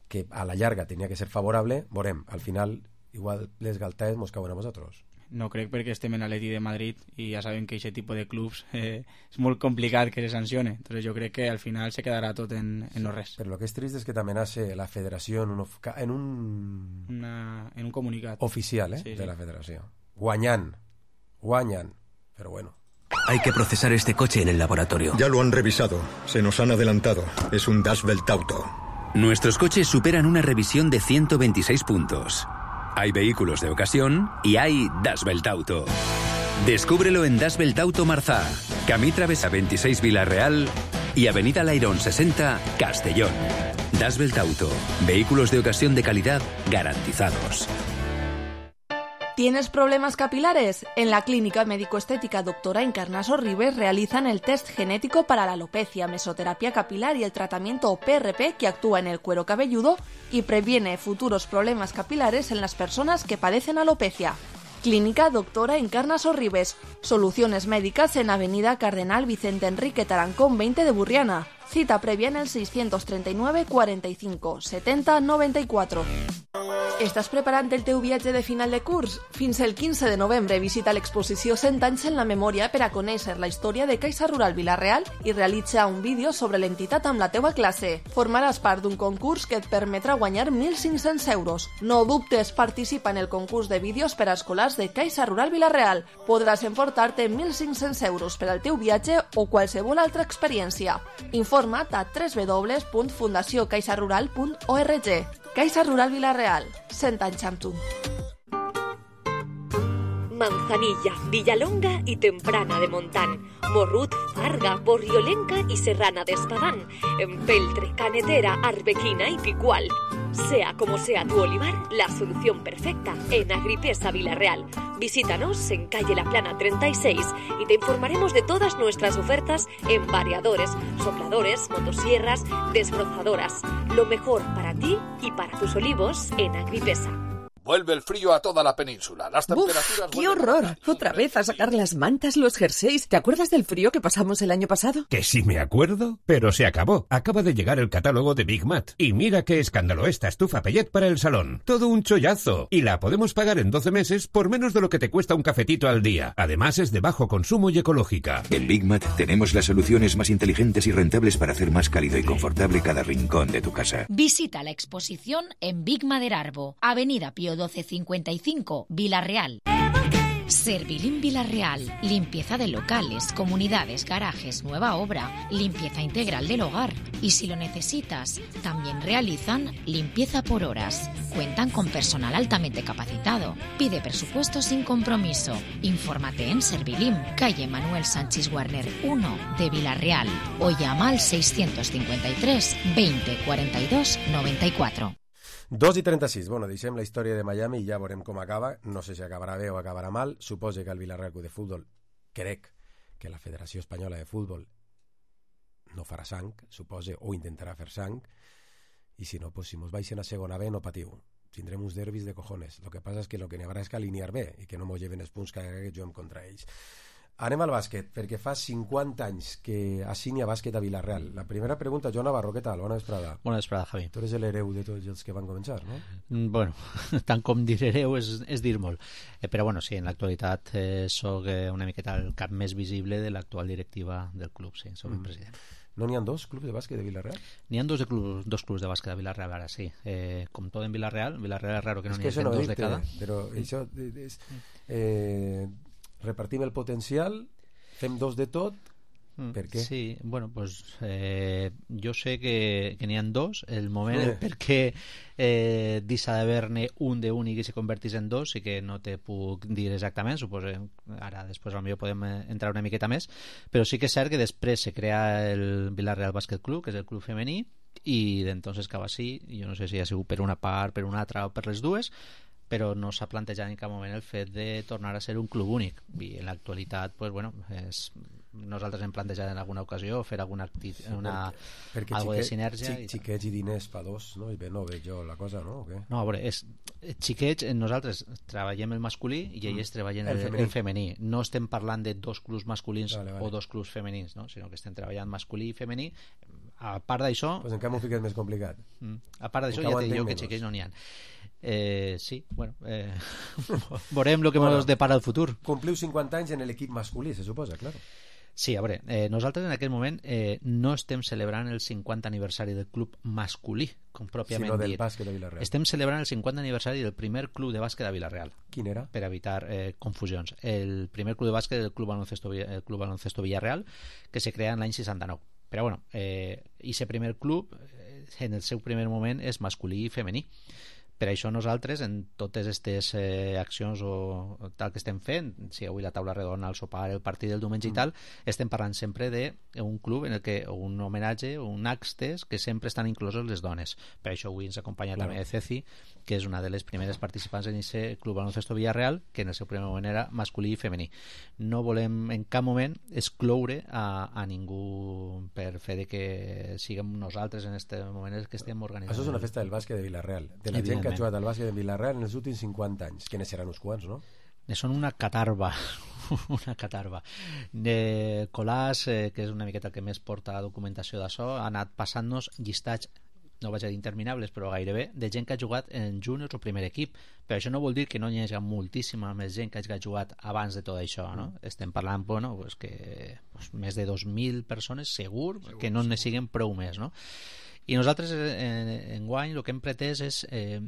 que a la llarga tenia que ser favorable, veurem, al final igual les galtaes mos cauen a vosaltres. No crec perquè estem en l'Atleti de Madrid i ja sabem que aquest tipus de clubs eh, és molt complicat que se sancione. Entonces jo crec que al final se quedarà tot en, en no res. Però el que és trist és que també nace la federació en un, en un... Una, en un comunicat oficial, eh, sí, sí. de la federació. Guanyant. Guanyant. Però bueno. Hay que procesar este coche en el laboratorio. Ya lo han revisado. Se nos han adelantado. Es un Das Welt Auto. Nuestros coches superan una revisión de ciento veintiséis puntos. Hay vehículos de ocasión y hay Das Welt Auto. Descúbrelo en Das Welt Auto Marzá, Camí Travesa veintiséis Villarreal y Avenida Lairón sesenta Castellón. Das Welt Auto. Vehículos de ocasión de calidad garantizados. ¿Tienes problemas capilares? En la Clínica Médico-Estética Doctora Encarnaso Ribes realizan el test genético para la alopecia, mesoterapia capilar y el tratamiento P R P que actúa en el cuero cabelludo y previene futuros problemas capilares en las personas que padecen alopecia. Clínica Doctora Encarnaso Ribes. Soluciones médicas en Avenida Cardenal Vicente Enrique Tarancón veinte de Burriana. Cita previa en el seiscientos treinta y nueve cuarenta y cinco setenta noventa y cuatro. Estàs preparant el teu viatge de final de curs? Fins el quinze de novembre visita l'exposició cent anys en la memòria per a conèixer la història de Caixa Rural Vila-real i realitza un vídeo sobre l'entitat amb la teua classe. Formaràs part d'un concurs que et permetrà guanyar mil cinc-cents euros. No dubtes, participa en el concurs de vídeos per a escolars de Caixa Rural Vila-real. Podràs emportar-te mil cinc-cents euros per al teu viatge o qualsevol altra experiència. Informa't a w w w punt fundació caixa rural punt org. Caixa Rural Vila-real, cent anys amb tu. Manzanilla, Villalonga y Temprana de Montán, Morrut, Farga, Borriolenca y Serrana de Espadán, Empeltre, Canetera, Arbequina y Picual. Sea como sea tu olivar, la solución perfecta en Agripesa Vila-real. Visítanos en calle La Plana treinta y seis y te informaremos de todas nuestras ofertas en variadores, sopladores, motosierras, desbrozadoras. Lo mejor para ti y para tus olivos en Agripesa. Vuelve el frío a toda la península. Las temperaturas... ¡Qué horror! Otra vez a sacar las mantas, los jerseys. ¿Te acuerdas del frío que pasamos el año pasado? Que sí me acuerdo, pero se acabó. Acaba de llegar el catálogo de Big Mat. Y mira qué escándalo esta estufa Pellet para el salón. Todo un chollazo. Y la podemos pagar en doce meses por menos de lo que te cuesta un cafetito al día. Además es de bajo consumo y ecológica. En Big Mat tenemos las soluciones más inteligentes y rentables para hacer más cálido y confortable cada rincón de tu casa. Visita la exposición en Big Maderarbo, Avenida Pío doce cincuenta y cinco, Vila-real. Servilín Vila-real. Limpieza de locales, comunidades, garajes, nueva obra, limpieza integral del hogar. Y si lo necesitas, también realizan limpieza por horas. Cuentan con personal altamente capacitado. Pide presupuesto sin compromiso. Infórmate en Servilín, calle Manuel Sánchez Warner uno de Vila-real o llama al seiscientos cincuenta y tres veinte cuarenta y dos noventa y cuatro. dos i trenta-sis. Bueno, deixem la història de Miami i ja veurem com acaba. No sé si acabarà bé o acabarà mal. Suposo que el Villarreal Club de Futbol, crec que la Federació Espanyola de Futbol no farà sang, suposo, o intentarà fer sang. I si no, pues, si mos baixen a segona B, no patiu. tindrem uns derbis de cojones. Lo que passa és que lo que n'hi haurà és que alinear bé i que no mos lleven els punts cada vegada que juguem contra ells. Anem al bàsquet, perquè fa cinquanta anys que assigna bàsquet a Villarreal. La primera pregunta, Joan Navarro, què tal? Bona vesprada. Bona vesprada, Javi. Tu eres l'hereu de tots els que van començar, no? Bueno, tant com dir hereu és, és dir molt. Eh, però bueno, sí, en l'actualitat eh, soc eh, una miqueta el cap més visible de l'actual directiva del club, sí, soc mm. el president. No n'hi ha dos clubs de bàsquet de Villarreal? N'hi ha dos, de club, dos clubs de bàsquet de Villarreal, ara sí. Eh, com tot en Villarreal, Villarreal és raro que no n'hi hagi no dos de cada. Però això és... Eh, repartim el potencial... Fem dos de tot, mm, per què? Sí, bueno, pues eh, jo sé que, que n'hi ha dos, el moment sí. per què eh, deixa d'haver-ne un d'únic i se convertís en dos, sí que no te puc dir exactament, suposo, ara després potser podem entrar una miqueta més, però sí que és cert que després se crea el Villarreal Bàsquet Club, que és el club femení, i d'entonces cap així, jo no sé si ha sigut per una part, per una altra o per les dues, però no s'ha plantejat en cap moment el fet de tornar a ser un club únic, i en l'actualitat pues, bueno, és, nosaltres hem plantejat en alguna ocasió fer alguna acti- una, perquè, perquè algo xiquet, de sinergia xic, xiquets i diners pa dos, no? I bé, no veig jo la cosa, no? O què? No, a veure, és, xiquets, nosaltres treballem el masculí i ells mm. treballen el, el, femení. el femení, no estem parlant de dos clubs masculins vale, vale. o dos clubs femenins, no? Sinó que estem treballant masculí i femení. A part d'això pues encara m'ho fiques més complicat. Mm, a part d'això ja te dic que xiquets no n'hi ha. Eh, sí, bueno eh, veurem el que bueno, ens depara el futur. Compliu cinquanta anys en l'equip masculí, se suposa, claro. Sí, a veure, eh, nosaltres en aquest moment eh, no estem celebrant el cinquanta aniversari del club masculí, com pròpiament sinó del dit. bàsquet de Villarreal. Estem celebrant el cinquanta aniversari del primer club de bàsquet de Villarreal. Quin era? Per evitar eh, confusions. El primer club de bàsquet del Club Baloncesto, el Club Baloncesto Villarreal, que se crea en l'any seixanta-nou. Però bueno, eh, aquest primer club eh, en el seu primer moment és masculí i femení. Per això nosaltres, en totes aquestes eh, accions o, o tal que estem fent, si avui la taula redona, el sopar, el partit del diumenge mm. i tal, estem parlant sempre d'un club en el que un homenatge, un actes que sempre estan inclosos les dones. Per això avui ens acompanya claro. també Ceci, que és una de les primeres participants en aquest Club Baloncesto Villarreal, que en el seu primer moment era masculí i femení. No volem en cap moment excloure a, a ningú per fer de que siguem nosaltres en aquest moment que estem organitzant. Això és una festa del bàsquet de Villarreal, de la gent que ha jugat al bàsquet de Villarreal en els últims cinquanta anys, que ne seran uns quants, no? Ne són una catarba una catarba de Colàs, eh, que és una miqueta el que més porta la documentació d'això, ha anat passant-nos llistats, no vaig a dir interminables, però gairebé, de gent que ha jugat en juniors o primer equip. Però això no vol dir que no hi hagi moltíssima més gent que hagi jugat abans de tot això, no? Mm. Estem parlant, bueno, pues que pues, més de dos mil persones, segur, segur que no ne siguen prou més, no? I nosaltres, en, en guany, el que hem pretès és eh,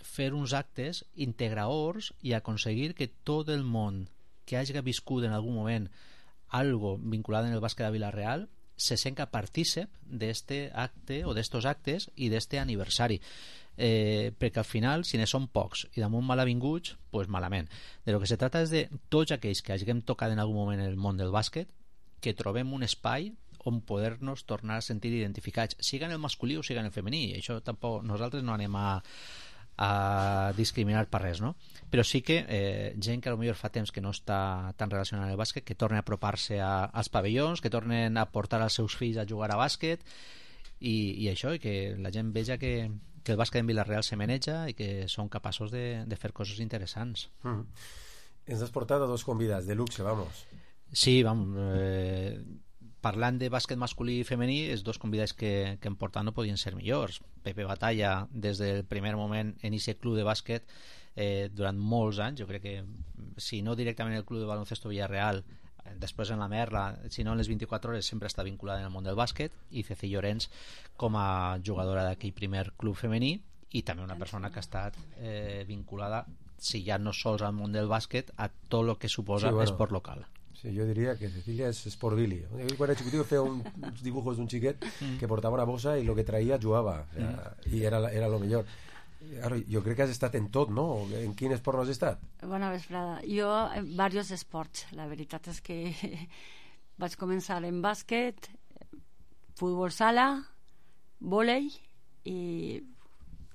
fer uns actes integradors i aconseguir que tot el món que hagi viscut en algun moment algo vinculat en el bàsquet de Villarreal se senga partícip d'este acte o d'estos actes i d'este aniversari, eh, perquè al final si ne són pocs i damunt malavinguts, pues malament. De lo que se trata és de tots aquells que hàgim tocat en algun moment en el món del bàsquet, que trobem un espai on poder-nos tornar a sentir identificats, siga en el masculí o siga en el femení. I això tampoc nosaltres no anem a a discriminar per res, no? Però sí que eh, gent que potser fa temps que no està tan relacionada amb el bàsquet, que tornen a apropar-se a, als pavellons, que tornen a portar els seus fills a jugar a bàsquet i, i això, i que la gent veja que, que el bàsquet en Villarreal se maneja i que són capaços de, de fer coses interessants. Mm. Ens has portat a dos convidats de luxe, vamos. Sí, vamos, eh, parlant de bàsquet masculí i femení, els dos convidats que, que hem portat no podien ser millors. Pepe Batalla, des del primer moment en aquest club de bàsquet, eh, durant molts anys, jo crec que si no directament el club de baloncesto Villarreal, després en la Merla, si no en les vint-i-quatre hores, sempre està vinculada en el món del bàsquet, i Ceci Llorenç com a jugadora d'aquell primer club femení, i també una persona que ha estat eh, vinculada, si ja no sols al món del bàsquet, a tot el que suposa sí, bueno. esport local. Sí, jo diria que Cecilia és Sport Billy. Quan era xiquitiu feia un, uns dibujos d'un xiquet mm. que portava una bossa i el que traïa jugava, o sea, mm. i era, era lo millor. Ara, jo crec que has estat en tot, no? En quin esport no has estat? Bona vesprada. Jo en diversos esports. La veritat és que vaig començar en bàsquet, futbol sala, vòlei, i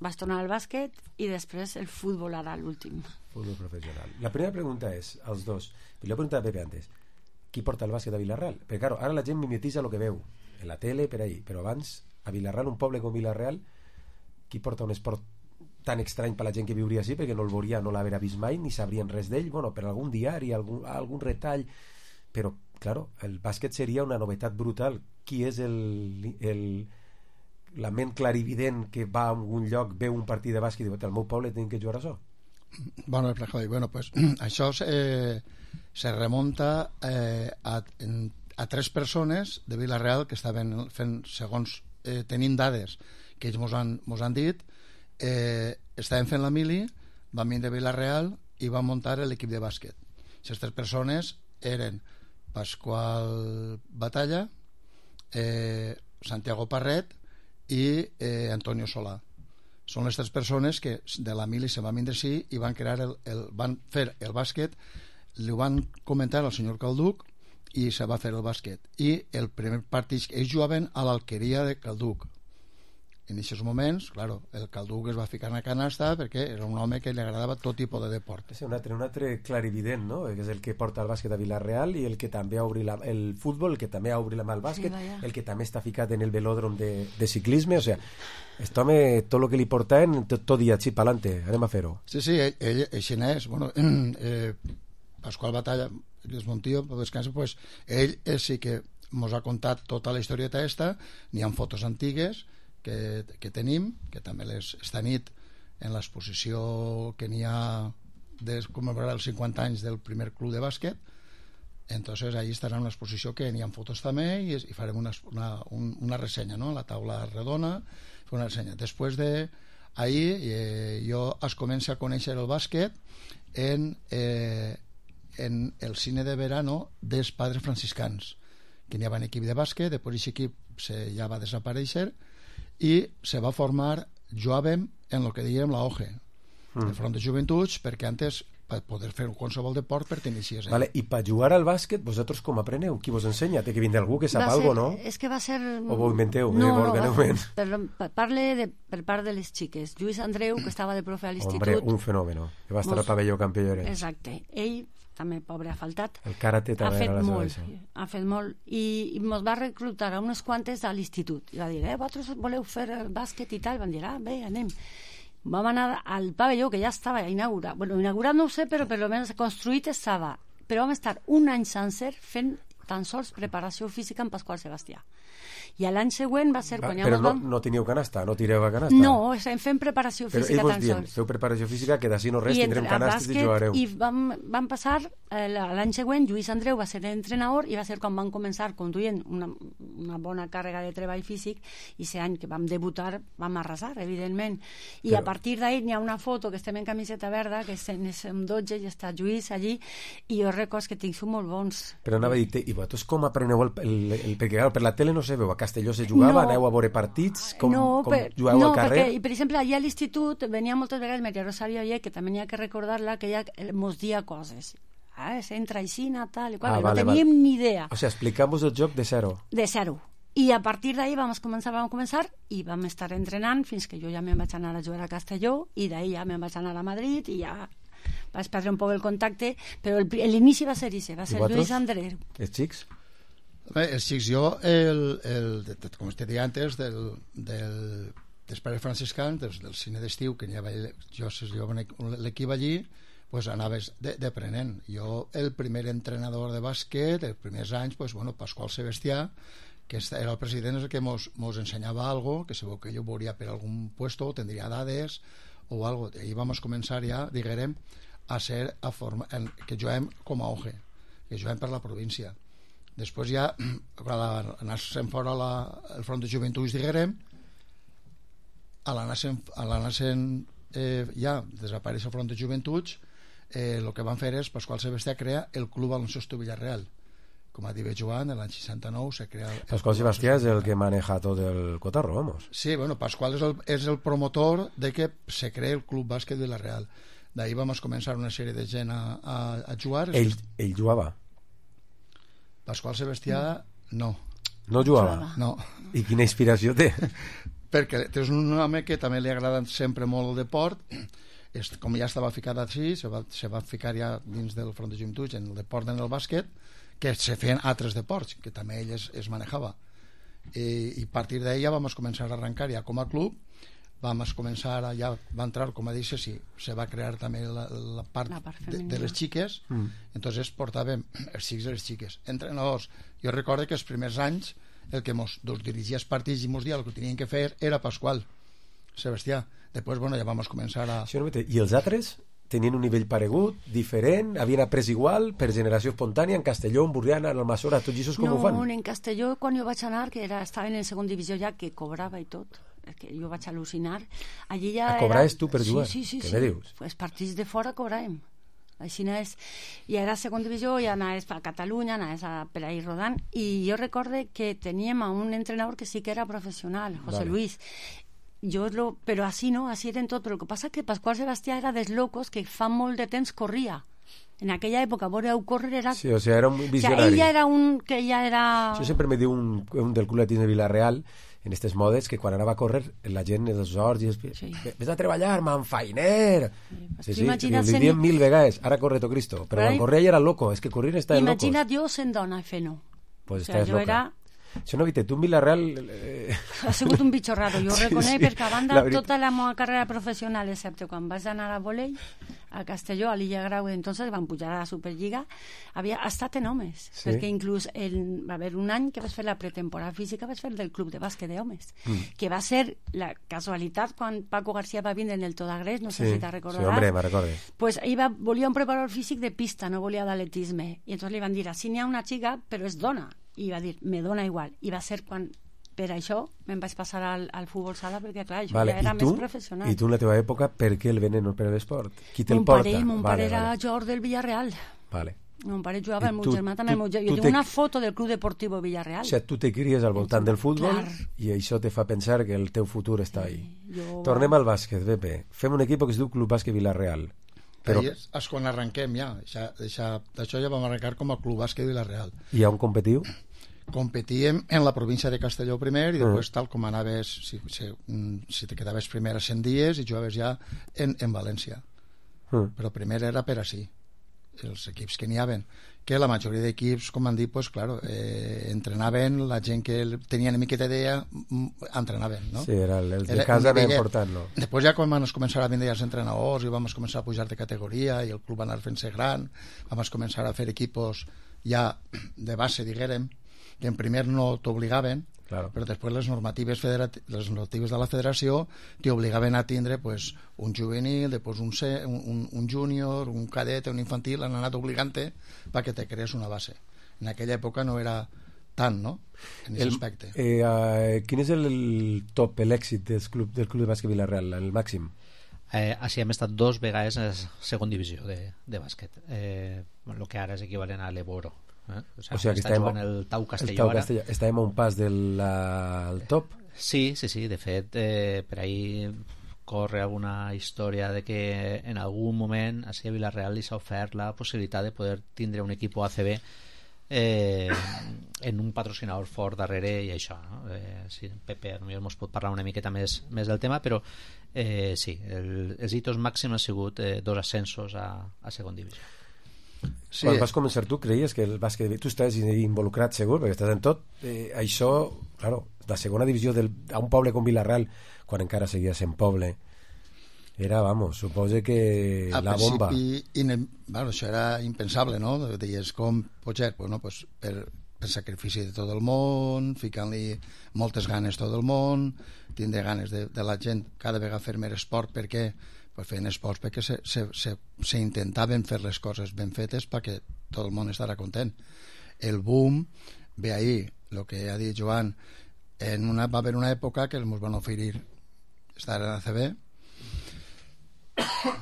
vaig tornar al bàsquet i després el futbol ara l'últim. Futbol professional. La primera pregunta és, als dos, li he preguntat a Pepe antes, qui porta el bàsquet a Villarreal? Perquè claro, ara la gent mimetitza el que veu en la tele, per ahí, però abans a Villarreal, un poble com Villarreal, qui porta un esport tan estrany per la gent que viuria així, perquè no el veuria, no l'haver vist mai, ni sabrien res d'ell, bueno, per algun diari, algun, algun retall, però, claro, el bàsquet seria una novetat brutal. Qui és el, el, la ment clarivident que va a algun lloc, veu un partit de bàsquet i diu, al meu poble tenim que jugar a això? Bueno, bueno pues, això eh, se remunta eh, a, en, a tres persones de Vila-real que estaven fent, segons eh, tenim dades que ells mos han, mos han dit, eh, estaven fent la mili, van venir de Vila-real i van muntar l'equip de bàsquet. Aquestes tres persones eren Pasqual Batalla, eh, Santiago Parret i eh, Antonio Solà. Són les tres persones que de la mili se van vindre sí i van crear el, el, van fer el bàsquet, li van comentar al senyor Calduc i se va fer el bàsquet. I el primer partit, ells jugaven a l'Alqueria de Calduc. En aquests moments, claro, el Calduc es va ficar en la canasta perquè era un home que li agradava tot tipus de deport. És un altre, un altre clarivident, no? Que és el que porta el bàsquet a Vila-real i el que també ha obrit la, el futbol, el que també ha obrit la mà al bàsquet, sí, el que també està ficat en el velòdrom de, de ciclisme, o sea, aquest home, tot el que li portaven, tot, tot dia, sí, pa'lante, anem a fer-ho. Sí, sí, ell, ell així n'és. Bueno, eh, Pasqual Batalla, el Montillo, pues, ell, ell sí que mos ha contat tota la historieta esta, n'hi ha fotos antigues que, que tenim, que també les, esta nit en l'exposició que n'hi ha de commemorar els cinquanta anys del primer club de bàsquet, entonces ahí estarà una exposició que n'hi ha fotos també i, i farem una, una, una ressenya, no? La taula redona, una ressenya. Després de ahí eh, jo es comença a conèixer el bàsquet en, eh, en el cine de verano dels Padres Franciscans, que n'hi havia un equip de bàsquet, després aquest equip se, ja va desaparèixer i se va formar, jugàvem en el que diguem la O G E, mm. el Front de Joventuts, perquè antes per poder fer qualsevol deport pertenixies. Eh? Vale, i per jugar al bàsquet, vosaltres com apreneu? Qui vos ensenya? Té que vindre algú que sap algo, no? És que va ser... O vos inventeu? No, eh, no, va, per, parle de, per part de les xiques. Lluís Andreu, que estava de profe a l'institut... Hombre, un fenòmeno, que va estar al pavelló Campió Llorenç. Exacte. Ell també, pobre, ha faltat. El karate també ha fet era la molt, seva. ha fet molt. I, i mos va reclutar a unes quantes a l'institut. I va dir, eh, vosaltres voleu fer el bàsquet i tal? Van dir, ah, bé, anem. Vam anar al pavelló, que ja estava inaugurat. Bueno, inaugurat no ho sé, però per almenys construït estava. Però vam estar un any sencer fent tan sols preparació física amb Pasqual Sebastià. I l'any següent va ser... Va, quan però ja no, vam... no teníeu canasta, no tireu a canasta. No, estem fent preparació física però tan dient, sols. feu preparació física que d'ací no res I tindrem canastes i jugareu. I vam, vam passar eh, l'any següent, Lluís Andreu va ser entrenador i va ser quan vam començar conduint una, una bona càrrega de treball físic i aquest any que vam debutar vam arrasar, evidentment. I però... a partir d'ahir n'hi ha una foto que estem en camiseta verda, que som dotze i està Lluís allí i jo recordo que tinc són molt bons. Però anava a dir, i vosaltres com apreneu el, el, el, el perquè per la tele no se veu, a Castelló se jugava, no, aneu a veure partits, com, no, com per, jugueu no, al carrer? Perquè, per exemple, allà a l'institut venia moltes vegades Maria Rosario Oller, que també n'hi ha que recordar-la, que ella mos dia coses. Ah, s'entra així, tal i qual, ah, vale, no teníem vale. ni idea. O sigui, explicamos el joc de zero. De zero. I a partir d'ahir vam començar, vam començar i vam estar entrenant fins que jo ja me'n vaig anar a jugar a Castelló i d'ahir ja me'n vaig anar a Madrid i ja vaig perdre un poc el contacte, però l'inici va ser ese, va ser Lluís Andreu. Els xics? Bé, els xics, jo, el, el, com te deia antes, del, del, dels pares franciscans, del, del cine d'estiu, que havia, jo, jo l'equip allí, pues anaves d'aprenent. Jo, el primer entrenador de bàsquet, els primers anys, pues, bueno, Pasqual Sebastià, que era el president, és el que mos, mos ensenyava algo, que segur que jo veuria per algun puesto, tindria dades o algo. I ahí vam començar ja, diguem, a ser a forma, en, que juguem com a O G E, que juguem per la província. Després ja, quan anàssim fora la, el front de joventuts, diguem, a l'anàssim eh, ja desapareix el front de joventuts, eh, el que van fer és Pasqual Sebastià crea el Club Baloncesto Villarreal. Com ha dit Joan, l'any seixanta-nou se crea... Pasqual Sebastià és el que maneja tot el cotarro, vamos. Sí, bueno, Pasqual és el, és el promotor de que se cree el Club Bàsquet Villarreal. D'ahir vam començar una sèrie de gent a, a, a jugar. Ell, ell jugava? Pasqual Sebastià, no. No jugava? No. I quina inspiració té? Perquè és un home que també li agrada sempre molt el deport. És, com ja estava ficat així, se va, se va ficar ja dins del front de joventuts en el deport, en el bàsquet, que se feien altres deports, que també ell es, es manejava. I, i a partir d'ella vam començar a arrencar ja com a club vam començar a, ja va entrar, com a dices, sí, se va crear també la, la part, la part de, de les xiques, mm. entonces portàvem els xics i les xiques. Entrenadors, jo recordo que els primers anys el que mos doncs, dirigia els partits i mos dia el que tenien que fer era Pasqual Sebastià. Després, bueno, ja vam començar a... Sí, i els altres tenien un nivell paregut, diferent, havien après igual, per generació espontània, en Castelló, en Burriana, en Almassora, tots aquests com no, ho fan? No, en Castelló, quan jo vaig anar, que era, estava en segona divisió ja, que cobrava i tot, que jo vaig al·lucinar. Allí ja a cobrar era... és tu per jugar? Sí, sí, sí. Què sí. me dius? Els partits de fora cobràvem. Així és. I era segona divisió, i anaves a Catalunya, anaves a, per ahí rodant, i jo recorde que teníem a un entrenador que sí que era professional, José vale. Luis. Jo lo, però així no, així eren tot. Però el que passa que Pasqual Sebastià era dels locos que fa molt de temps corria. En aquella època, veure-ho córrer era... Sí, o sigui, era un visionari. O sigui, ell ja era un... que ja era... Això sempre me diu un, un del Club Atletisme de Villarreal, en aquestes modes, que quan anava a córrer, la gent dels horts, i sí. Ves a treballar, manfainer! Sí, sí, sí li diem mil vegades, ara corre to Cristo. Però quan corria ja era loco, és que corrir està de locos. Imagina't jo sent dona fent-ho. Pues o sigui, jo era... Això no, viste, tu en Villarreal... Eh... Ha sigut un bitxo raro, jo ho reconec, sí, sí. perquè a banda la tota la meva carrera professional, excepte quan vaig anar a volei, a Castelló, a l'Illa Grau, entonces van pujar a la Superliga, havia estat en homes, sí. perquè inclús el, va haver un any que vaig fer la pretemporada física, vaig fer del club de bàsquet d'homes, mm. que va ser la casualitat quan Paco García va vindre en el Todagrés, no sé sí. si te'n recordaràs. Sí, hombre, me recorde. Pues ell va, volia un preparador físic de pista, no volia d'atletisme, i entonces li van dir, així n'hi ha una xica, però és dona, i va dir, me dona igual, i va ser quan per això me'n vaig passar al, al futbol sala, perquè clar, això vale, ja era tu, més professional. I tu en la teva època, per què el veneno per l'esport? Qui te'l porta? Pare, mon vale, pare era vale. jugador del Villarreal. Vale. Mon pare jugava, el meu tu, germà també, tu, el meu... jo tinc una foto del Club Deportivo Villarreal. O sigui, tu te cries al voltant del futbol clar. I això te fa pensar que el teu futur està ahí. Jo... Tornem al bàsquet, Pepe. Fem un equip que es diu Club Bàsquet Villarreal. Però és, és quan arrenquem ja, d'això ja vam arrencar com a Club Bàsquet Villarreal. I on competiu? Competíem en la província de Castelló primer i després mm. tal com anaves, si, si, si te quedaves primer a cent dies i jugaves ja en, en València. Mm. Però primer era per així, els equips que n'hi havien, que la majoria d'equips, com han dit, pues, claro, eh, entrenaven, la gent que tenia una miqueta d'idea entrenaven, no? Sí, era el, el de casa era important, no? Després ja quan vam començar a vindre els entrenadors i vam començar a pujar de categoria i el club va anar fent-se gran, vam començar a fer equipos ja de base, diguérem, que en primer no t'obligaven, claro. Però després les normatives, federati- les normatives de la federació t'obligaven a tindre pues, un juvenil, després un, C, un, un júnior, un cadet, un infantil, han anat obligant-te perquè te crees una base. En aquella època no era tant, no?, en aquest aspecte. Eh, eh, quin és el, el top, l'èxit del club, del club de bàsquet Villarreal, el màxim? Eh, així hem estat dos vegades a segona divisió de, de bàsquet, eh, el que ara és equivalent a l'Eboro. Eh? O sigui, o sigui que està estàvem, jugant el Tau Castelló, el Tau ara. Castelló. Estàvem a un pas del uh, top? Sí, sí, sí, de fet eh, per ahí corre alguna història de que en algun moment a Villarreal li s'ha ofert la possibilitat de poder tindre un equip A C B eh, en un patrocinador fort darrere i això, no? Eh, sí, Pepe potser ens pot parlar una miqueta més, més del tema, però eh, sí, el, els hitos màxims han sigut eh, dos ascensos a, a segona divisió. Sí. Quan vas començar tu creies que el bàsquet, tu estàs involucrat segur perquè estàs en tot, eh, això claro, la segona divisió del, a un poble com Villarreal quan encara seguia sent poble era, vamos, suposo que a la bomba ine... bueno, això era impensable, no? Deies com pot ser, pues, no? pues per, per sacrifici de tot el món, ficant-li moltes ganes tot el món, tindre ganes de, de la gent cada vegada fer més esport, perquè pues feien esports perquè se, se, se, se intentaven fer les coses ben fetes perquè tot el món estarà content. El boom ve ahí, el que ha dit Joan, en una, va haver una època que ens van oferir estar en A C B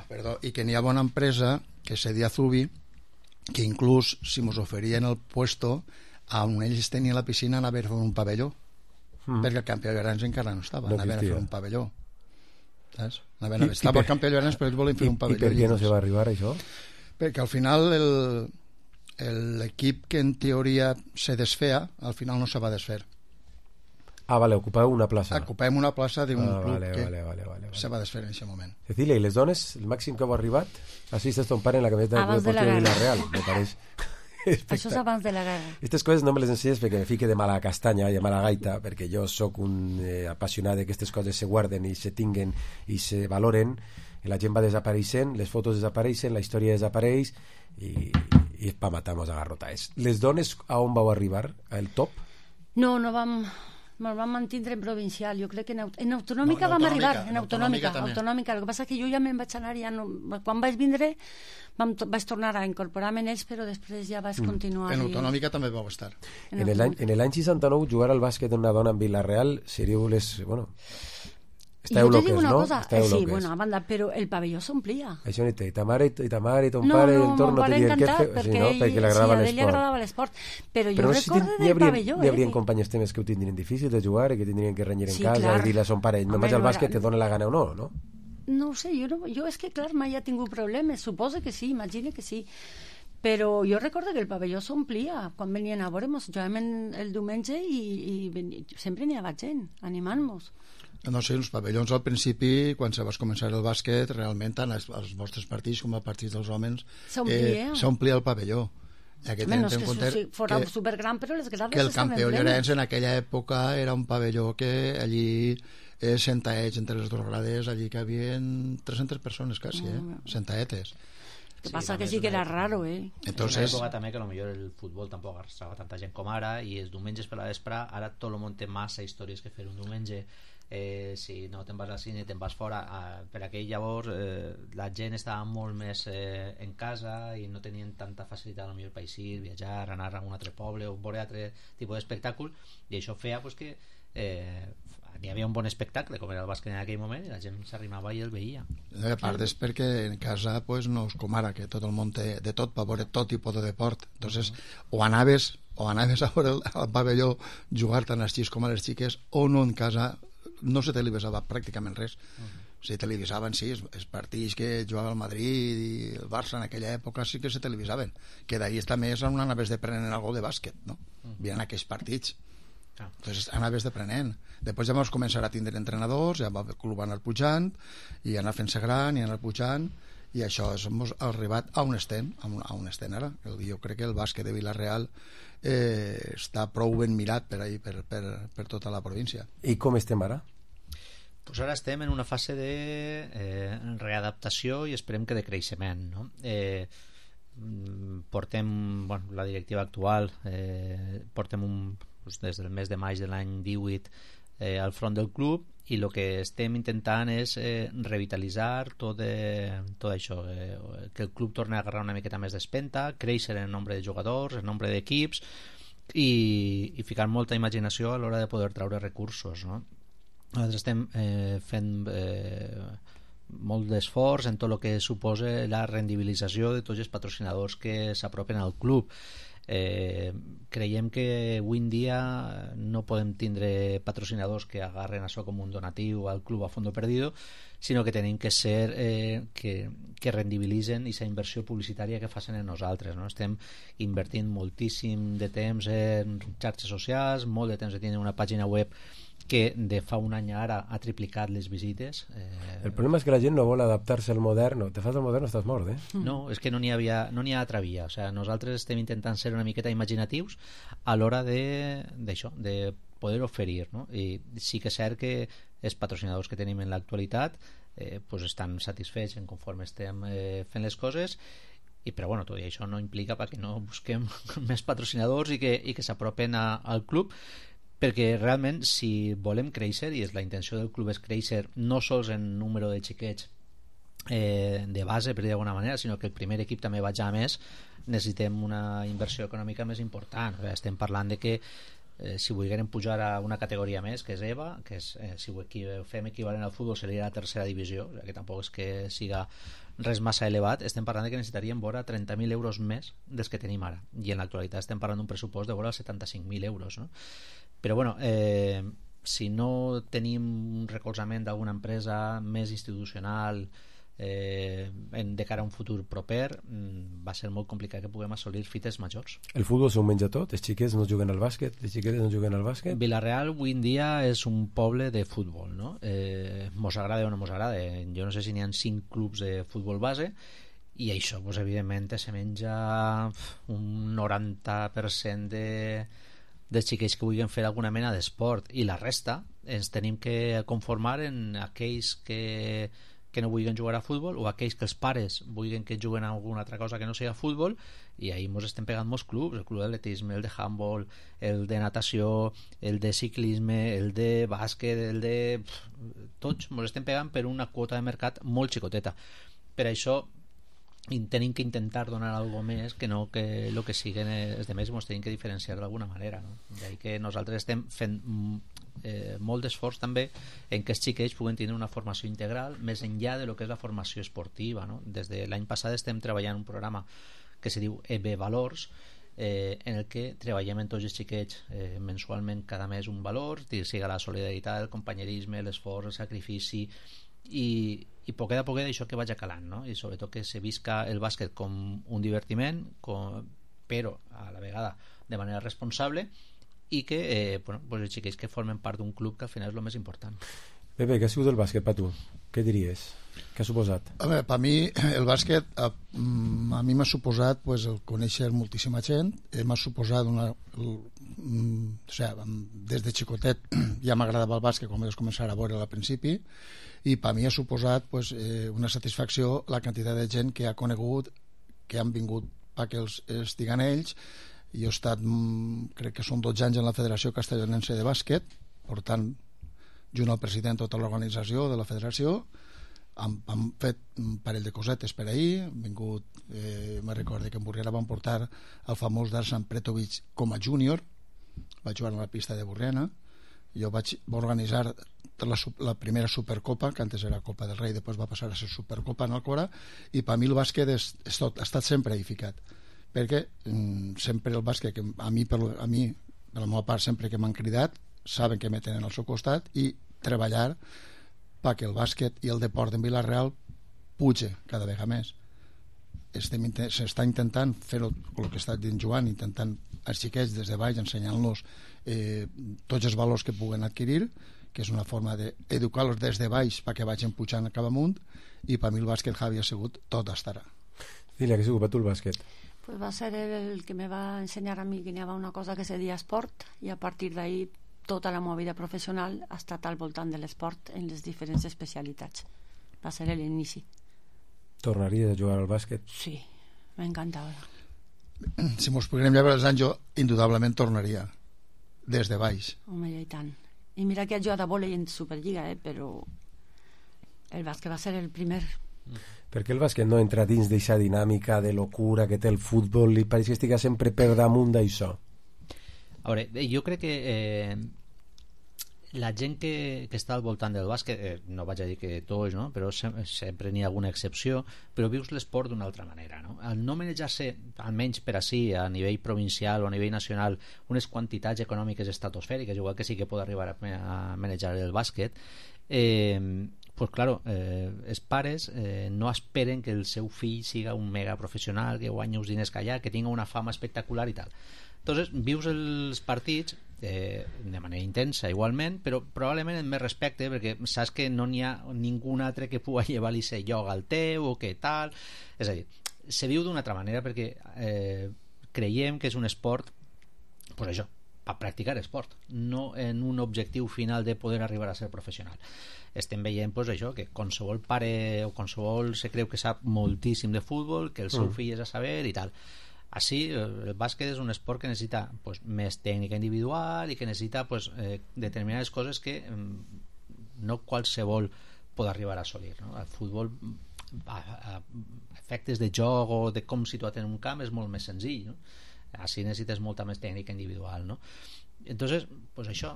perdó, i que n'hi ha bona empresa que se deia Zubi, que inclús si ens oferien el puesto on ells tenien la piscina anaven a fer un pavelló mm. perquè el campió de grans encara no estava, no anaven a fer un pavelló. Saps? Anaven a fer. Estava el campió de grans però ells volen fer un pavelló. I per què no se va arribar a això? Perquè al final el, l'equip que en teoria se desfea al final no se va desfer. Ah, vale, ocupeu una plaça. Ocupem una plaça d'un ah, club vale, que vale, vale, vale, vale. se va desfer en aquest moment. Cecilia, i les dones, el màxim que heu arribat? Així estàs ton pare en la camiseta del Club Deportiu de Villarreal, me pareix. Això és abans de la guerra. Aquestes coses no me les ensenyes perquè me fique de mala castanya i de mala gaita, perquè jo sóc un eh, apassionat de que aquestes coses se guarden i se tinguen i se valoren, i la gent va desapareixent, les fotos desapareixen, la història desapareix i, i pa matar-nos a garrotaes. Les dones a on vau arribar? Al top? No, no vam... Ens vam mantindre en provincial, jo crec que en, aut en autonòmica no, en vam arribar, en autonòmica, autonòmica, autonòmica. El que passa és que jo ja me'n vaig anar, ja no, quan vaig vindre vam to vaig tornar a incorporar-me en ells, però després ja vaig continuar. En autonòmica i... també vau estar. En, en l'any seixanta-nou jugar al bàsquet d'una dona en Vila-real seríeu les... Bueno, esteu loques, no? Cosa, eh, sí, bueno, a banda, però el pavelló s'omplia. Això ni i ta mare i ta mare i ton no, pare no, i el torn no te diuen què fer, perquè, sí, no? perquè li agradava sí, l'esport. li agradava l'esport. Però, però jo no recordo si del haurien, pavelló. Hi haurien eh? companyes temes que ho tindrien difícil de jugar i que tindrien que renyir en sí, casa clar. i dir-li a son pare, me'n vaig al bàsquet, te dona la gana o no, no? No ho sé, jo, no, jo és que, clar, mai ha tingut problemes. Suposo que sí, imagine que sí. Però jo recordo que el pavelló s'omplia quan venien a veure-nos. Jugàvem el diumenge i, i sempre n'hi havia gent animant-nos. No sé, els pavellons al principi, quan se vas començar el bàsquet, realment tant els, els vostres partits com els partits dels homes s'omplia eh, el pavelló. I que menys que compte si fora que, supergran, però les grades que el campió Llorenç en aquella època era un pavelló que allí eh, sentaets entre les dues grades, allí que havia tres-centes persones quasi, eh? Mm. Sentaetes. El que passa sí, que sí que era raro, eh? Entonces... En una època també que potser el futbol tampoc arrastrava tanta gent com ara, i els diumenges per la vespre, ara tot el món té massa històries que fer un diumenge. Eh, si no te'n vas al cine, te'n vas fora, eh, per aquell llavors eh, la gent estava molt més eh, en casa i no tenien tanta facilitat potser per eixir, viatjar, anar a un altre poble o veure altre tipus d'espectacle, i això feia pues, que eh, n'hi havia un bon espectacle com era el bàsquet en aquell moment i la gent s'arrimava i el veia. A part és perquè en casa pues, no és com ara que tot el món té de tot per veure tot tipus de deport. Entonces, uh -huh. o anaves o anaves a veure al pavelló jugar tant als xics com a les xiques, o no en casa no se televisava pràcticament res. Uh -huh. Se televisaven, sí, els, els partits que jugava el Madrid i el Barça en aquella època sí que se televisaven, que d'ahir també és on anaves deprenent algo de bàsquet, no? Uh -huh. Vien aquells partits. Uh -huh. Entonces anaves deprenent. Després ja vam començar a tindre entrenadors, ja el club va anar pujant i anar fent-se gran i anar pujant, i això hem arribat a on estem, a on estem ara. Jo crec que el bàsquet de Vila-real eh, està prou ben mirat per, ahí, per, per, per tota la província. I com estem ara? Pues ara estem en una fase de eh, readaptació i esperem que de creixement, no? Eh, portem, bueno, la directiva actual eh, portem un, pues, des del mes de maig de l'any divuit eh, al front del club, i el que estem intentant és eh, revitalitzar tot, de, tot això, eh, que el club torni a agarrar una miqueta més d'espenta, créixer en nombre de jugadors, en nombre d'equips, i, i ficar molta imaginació a l'hora de poder traure recursos, no? Nosaltres estem eh, fent eh, molt d'esforç en tot el que suposa la rendibilització de tots els patrocinadors que s'apropen al club. Eh, creiem que avui en dia no podem tindre patrocinadors que agarren això com un donatiu al club a fondo perdido, sinó que tenim que ser eh, que, que rendibilitzen aquesta inversió publicitària que facin en nosaltres, no? Estem invertint moltíssim de temps en xarxes socials, molt de temps de tenir una pàgina web que de fa un any ara ha triplicat les visites. Eh... El problema és que la gent no vol adaptar-se al modern. Te fas el modern, estàs mort, eh? No, és que no n'hi havia, no n'hi ha altra via. O sea, nosaltres estem intentant ser una miqueta imaginatius a l'hora d'això, de, de poder oferir, no? I sí que és cert que els patrocinadors que tenim en l'actualitat eh, pues estan satisfets en conforme estem eh, fent les coses, i, però bueno, tot i això no implica perquè no busquem més patrocinadors i que, i que s'apropen al club, perquè realment si volem créixer, i és la intenció del club és créixer no sols en número de xiquets eh, de base, per dir d'alguna manera, sinó que el primer equip també vagi a més, necessitem una inversió econòmica més important. O sigui, estem parlant de que eh, si volguérem pujar a una categoria més, que és EVA, que és, eh, si ho fem equivalent al futbol seria la tercera divisió, o sigui, que tampoc és que siga res massa elevat, estem parlant de que necessitaríem vora trenta mil euros més dels que tenim ara, i en l'actualitat estem parlant d'un pressupost de vora setanta-cinc mil euros, no? Però bueno, eh, si no tenim un recolzament d'alguna empresa més institucional eh, en, de cara a un futur proper, va ser molt complicat que puguem assolir fites majors. El futbol s'ho menja tot? Els xiquets no juguen al bàsquet? Les xiquetes no juguen al bàsquet? Vila-real avui en dia és un poble de futbol, no? Eh, mos agrada o no mos agrada. Jo no sé si n'hi ha cinc clubs de futbol base i això, pues, evidentment, se menja un noranta per cent de, de xiquets que vulguin fer alguna mena d'esport, i la resta ens tenim que conformar en aquells que, que no vulguin jugar a futbol, o aquells que els pares vulguin que juguen a alguna altra cosa que no sigui futbol, i ahí ens estem pegant molts clubs, el club d'atletisme, el de handball, el de natació, el de ciclisme, el de bàsquet, el de... tots ens estem pegant per una quota de mercat molt xicoteta. Per això tenim que intentar donar alguna més que no que el que siguen els demés, ens tenim que diferenciar d'alguna manera, no? D'ahí que nosaltres estem fent eh, molt d'esforç també en que els xiquets puguen tenir una formació integral més enllà de lo que és la formació esportiva, no? Des de l'any passat estem treballant un programa que se diu E B Valors, eh, en el que treballem en tots els xiquets eh, mensualment cada mes un valor, siga la solidaritat, el companyerisme, l'esforç, el sacrifici, i, i poquet a poquet això que vagi calant, no? I sobretot que se visca el bàsquet com un divertiment, com, però a la vegada de manera responsable, i que eh, bueno, pues els xiquets que formen part d'un club, que al final és el més important. Pepe, què ha sigut el bàsquet per tu? Què diries? Què ha suposat? A veure, per mi el bàsquet a, a mi m'ha suposat pues, el conèixer moltíssima gent, eh, m'ha suposat una, el, o sigui, des de xicotet ja m'agradava el bàsquet quan vaig començar a veure al principi, i per mi ha suposat pues, eh, una satisfacció la quantitat de gent que ha conegut, que han vingut perquè els estiguen ells. Jo he estat, crec que són dotze anys en la Federació Castellonense de Bàsquet, per tant, junt al president tota l'organització de la federació, hem, hem fet un parell de cosetes per ahir, hem vingut, eh, me recordo que en Burriana van portar el famós Darsan Pretovic com a júnior, vaig jugar a la pista de Burriana, jo vaig organitzar la, la primera Supercopa, que antes era Copa del Rei, després va passar a ser Supercopa en Alcora, i per mi el bàsquet és, és tot, ha estat sempre edificat, perquè mm, sempre el bàsquet, que a mi, per, a mi, per la meva part, sempre que m'han cridat, saben que me tenen al seu costat, i treballar perquè el bàsquet i el deport en Vila-real puja cada vegada més. S'està intentant fer-ho, el que està dient Joan, intentant als xiquets des de baix ensenyant-los eh, tots els valors que puguen adquirir, que és una forma d'educar-los des de baix perquè vagin pujant cap amunt, i per mi el bàsquet, Javi, ha sigut tot estarà. Dile, què ha sigut per tu el bàsquet? Pues va ser el que me va ensenyar a mi que n'hi havia una cosa que se deia esport, i a partir d'ahí tota la meva vida professional ha estat al voltant de l'esport en les diferents especialitats. Va ser l'inici. Tornaries a jugar al bàsquet? Sí, m'encantava. Si mos poguérem llevar els anys, jo indudablement tornaria des de baix. Home, i tant. I mira que he jugat a vòlei en Superliga, eh, però el bàsquet va ser el primer. Per què el bàsquet no entra dins d'aquesta dinàmica de locura que té el futbol i pareix que estiga sempre per damunt d'això? A veure, jo crec que eh, la gent que, que està al voltant del bàsquet, eh, no vaig a dir que tots, no? Però sempre, sempre n'hi ha alguna excepció, però vius l'esport d'una altra manera, no? Al no manejar-se, almenys per així, a nivell provincial o a nivell nacional, unes quantitats econòmiques estratosfèriques, igual que sí que pot arribar a, a manejar el bàsquet, eh, pues claro, eh, els pares eh, no esperen que el seu fill siga un mega professional, que guanyi uns diners que allà, que tinga una fama espectacular i tal. Entonces, vius els partits eh, de manera intensa igualment, però probablement amb més respecte, perquè saps que no n'hi ha ningú altre que pugui llevar-li ese lloc al teu o que tal. És a dir, se viu d'una altra manera perquè eh, creiem que és un esport, pues això, a practicar esport, no en un objectiu final de poder arribar a ser professional. Estem veient pues, això, que qualsevol pare o qualsevol se creu que sap moltíssim de futbol, que el seu Mm. fill és a saber i tal. Així, el bàsquet és un esport que necessita pues, més tècnica individual i que necessita pues, eh, determinades coses que mm, no qualsevol pot arribar a assolir, no? El futbol, a, a efectes de joc o de com situat en un camp, és molt més senzill, no? Així necessites molta més tècnica individual, no? Entonces, pues això,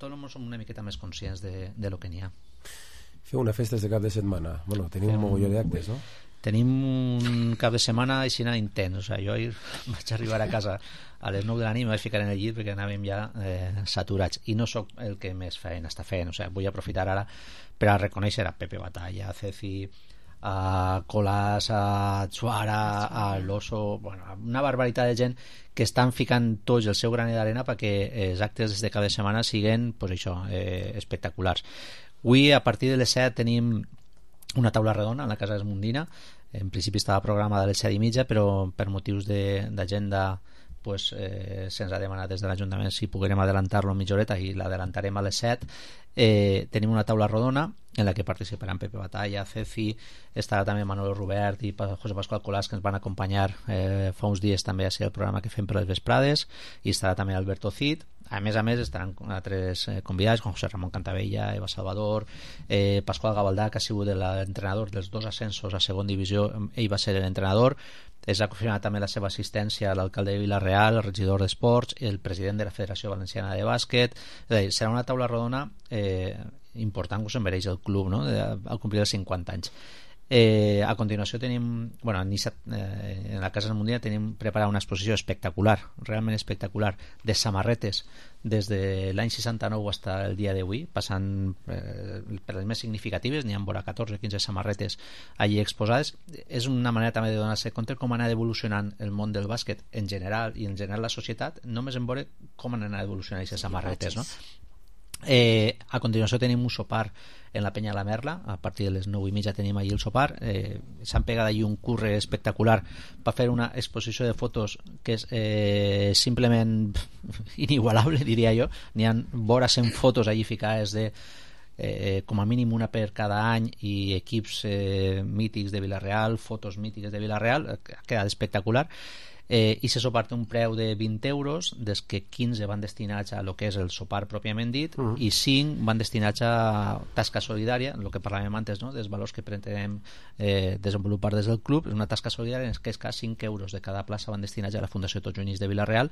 tots som una miqueta més conscients de, de lo que n'hi ha. Feu una festa de cap de setmana. Bueno, teniu un mogolló d'actes, no? Tenim un cap de setmana així intens, o sigui, jo ahir vaig arribar a casa a les nou de la nit, me vaig ficar en el llit perquè anàvem ja eh, saturats, i no sóc el que més feina està fent, o sigui, vull aprofitar ara per a reconèixer a Pepe Batalla, a Ceci, a Colás, a Suara, a l'Oso, bueno, una barbaritat de gent que estan ficant tots el seu granet d'arena perquè els actes de cap de setmana siguen pues això, eh, espectaculars. Avui a partir de les set tenim una taula redona en la Casa Esmundina en principi estava programada a les set i mitja, però per motius d'agenda pues, eh, se'ns ha demanat des de l'Ajuntament si poguérem adelantar-lo mitja horeta i l'adelantarem a les set. Eh, tenim una taula rodona en la que participaran Pepe Batalla, Ceci, estarà també Manolo Robert i José Pascual Colás, que ens van acompanyar eh, fa uns dies també a ser el programa que fem per les vesprades, i estarà també Alberto Cid. A més a més estaran altres eh, convidats com José Ramón Cantabella, Eva Salvador, eh, Pascual Gavaldà, que ha sigut l'entrenador dels dos ascensos a segon divisió, ell va ser l'entrenador. Es ha confirmat també la seva assistència a l'alcalde de Vila-real, el regidor d'Esports, el president de la Federació Valenciana de Bàsquet. És a dir, serà una taula rodona eh, important que us mereix el club, no?, al complir els cinquanta anys. Eh, a continuació tenim, bueno, eh, en la Casa del Mundial tenim preparada una exposició espectacular, realment espectacular, de samarretes des de l'any seixanta-nou fins al dia d'avui, passant eh, per les més significatives. N'hi ha vora catorze o quinze samarretes allí exposades. És una manera també de donar-se compte com ha anat evolucionant el món del bàsquet en general i en general la societat, només en veure com han anat evolucionant aquestes samarretes, no? Eh, a continuació tenim un sopar en la Penya La Merla, a partir de les nou i mitja tenim allí el sopar. Eh, s'han pegat allí un curre espectacular per fer una exposició de fotos que és eh, simplement inigualable, diria jo. N'hi ha vora cent fotos allí ficades de eh, com a mínim una per cada any, i equips eh, mítics de Vila-real, fotos mítiques de Vila-real. Ha quedat espectacular. Eh, i se sopar té un preu de vint euros, des que quinze van destinats a lo que és el sopar pròpiament dit, uh -huh. i cinc van destinats a tasca solidària, el que parlàvem antes, no?, dels valors que pretenem eh, desenvolupar des del club. És una tasca solidària en què és que cinc euros de cada plaça van destinats a la Fundació Tots Units de Vila-real,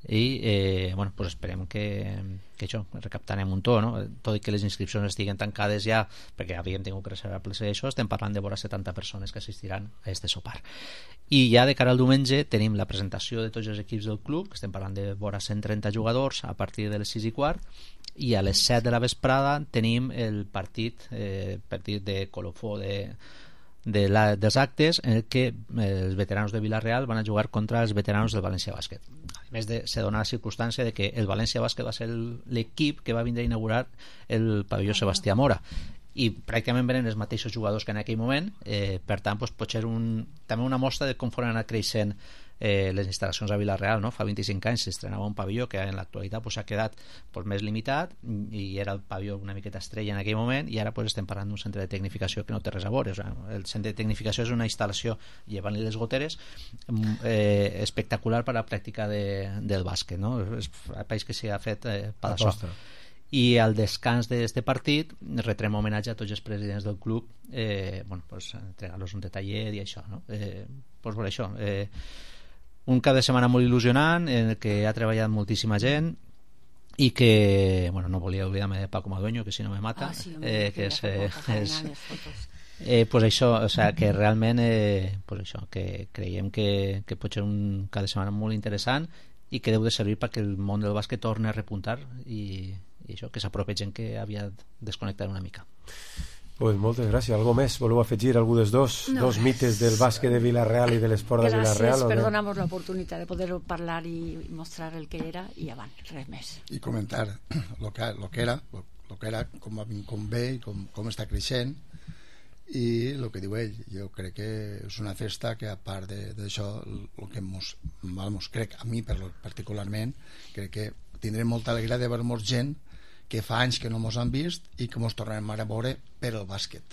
i eh, bueno, pues esperem que, que això, recaptarem un to, no? Tot i que les inscripcions estiguen tancades ja, perquè havíem tingut que reservar places d'això, estem parlant de vora setanta persones que assistiran a este sopar. I ja de cara al diumenge tenim la presentació de tots els equips del club, que estem parlant de vora cent trenta jugadors, a partir de les sis i quart, i a les set de la vesprada tenim el partit eh, partit de colofó de De la, dels actes en el que eh, els veteranos de Vila-real van a jugar contra els veteranos del València Bàsquet. A més, de, se dona la circumstància de que el València Bàsquet va ser l'equip que va vindre a inaugurar el pavelló Sebastià Mora, i pràcticament venen els mateixos jugadors que en aquell moment. Eh, per tant, doncs, pot ser un, també una mostra de com foren anat creixent eh, les instal·lacions a Vila-real, no? Fa vint-i-cinc anys s'estrenava un pavelló que en l'actualitat s'ha pues, quedat pues, més limitat, i era el pavelló una miqueta estrella en aquell moment, i ara pues, estem parlant d'un centre de tecnificació que no té res a veure. O sigui, el centre de tecnificació és una instal·lació, llevant-li les goteres, eh, espectacular per a la pràctica de, del bàsquet, no? És el país que s'hi ha fet eh, per això. I al descans d'aquest partit retrem homenatge a tots els presidents del club, eh, bueno, pues, entregar-los un detallet i això, no? Eh, pues, per això eh, un cap de setmana molt il·lusionant en el que ha treballat moltíssima gent, i que, bueno, no volia oblidar-me de Paco Madueño, que si no me mata, ah, sí, eh, que és, eh, és eh, pues això, o sea, que realment eh, pues això, que creiem que, que pot ser un cap de setmana molt interessant i que deu de servir perquè el món del bàsquet torni a repuntar, i, i això, que s'apropi gent que havia desconnectat una mica. Pues moltes gràcies. Algo més? Voleu afegir algú dels dos? No, dos mites del bàsquet de Vila-real i de l'esport de Vila-real? Gràcies per donar-nos l'oportunitat de poder parlar i mostrar el que era, i avant, res més. I comentar lo que, lo que era, lo, lo que era, com, com ve i com, com està creixent, i el que diu ell. Jo crec que és una festa que, a part d'això, el que mos, mos crec, a mi particularment, crec que tindrem molta alegria de veure molta gent que fa anys que no mos han vist i que mos tornarem a veure per el bàsquet.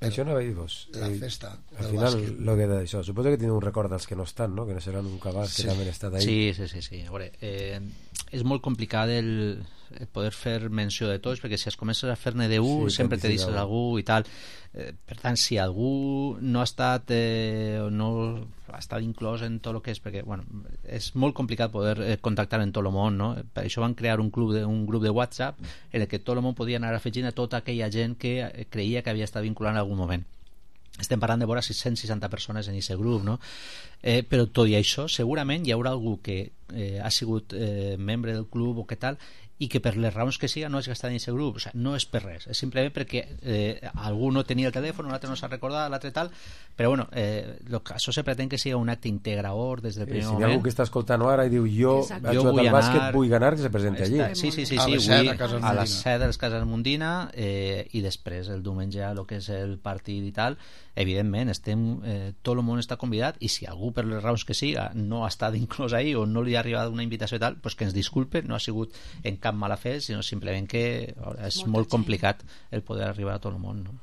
Per això no veig vos. La festa al del final, bàsquet. Lo que d'això. Suposo que teniu un record dels que no estan, no? Que no seran un cabàs, sí. Que també han estat ahí. Sí, sí, sí. sí. A veure, eh, és molt complicat el, el poder fer menció de tots, perquè si es comences a fer-ne d'un, sí, sempre te deixes algú i tal. Eh, per tant, si algú no ha estat eh, o no ha estat inclòs en tot el que és, perquè bueno, és molt complicat poder eh, contactar en tot el món, no? Per això van crear un, club de, un grup de WhatsApp en el que tot el món podia anar afegint a tota aquella gent que creia que havia estat vinculant en algun moment. Estem parlant de vora sis-cents seixanta persones en aquest grup, no? Eh, però tot i això segurament hi haurà algú que eh, ha sigut eh, membre del club o què tal i que per les raons que siga no hagi estat en aquest grup. O sigui, no és per res, és simplement perquè eh, algú no tenia el telèfon, l'altre no s'ha recordat, l'altre tal, però bueno, eh, lo que, això se pretén que sigui un acte integrador des del primer si moment. hi ha algú que està escoltant ara i diu jo vaig jugar al bàsquet, vull ganar, que se presenti allí. Sí, sí, sí, a sí, les vull, set a les set de les Cases Mundina eh, i després el diumenge el que és el partit i tal, evidentment estem, eh, tot el món està convidat i si algú per les raons que siga no ha estat inclòs ahí o no li ha arribat una invitació i tal, pues que ens disculpe, no ha sigut en cap mala fe, sinó simplement que és Molta molt gent. complicat el poder arribar a tot el món, no?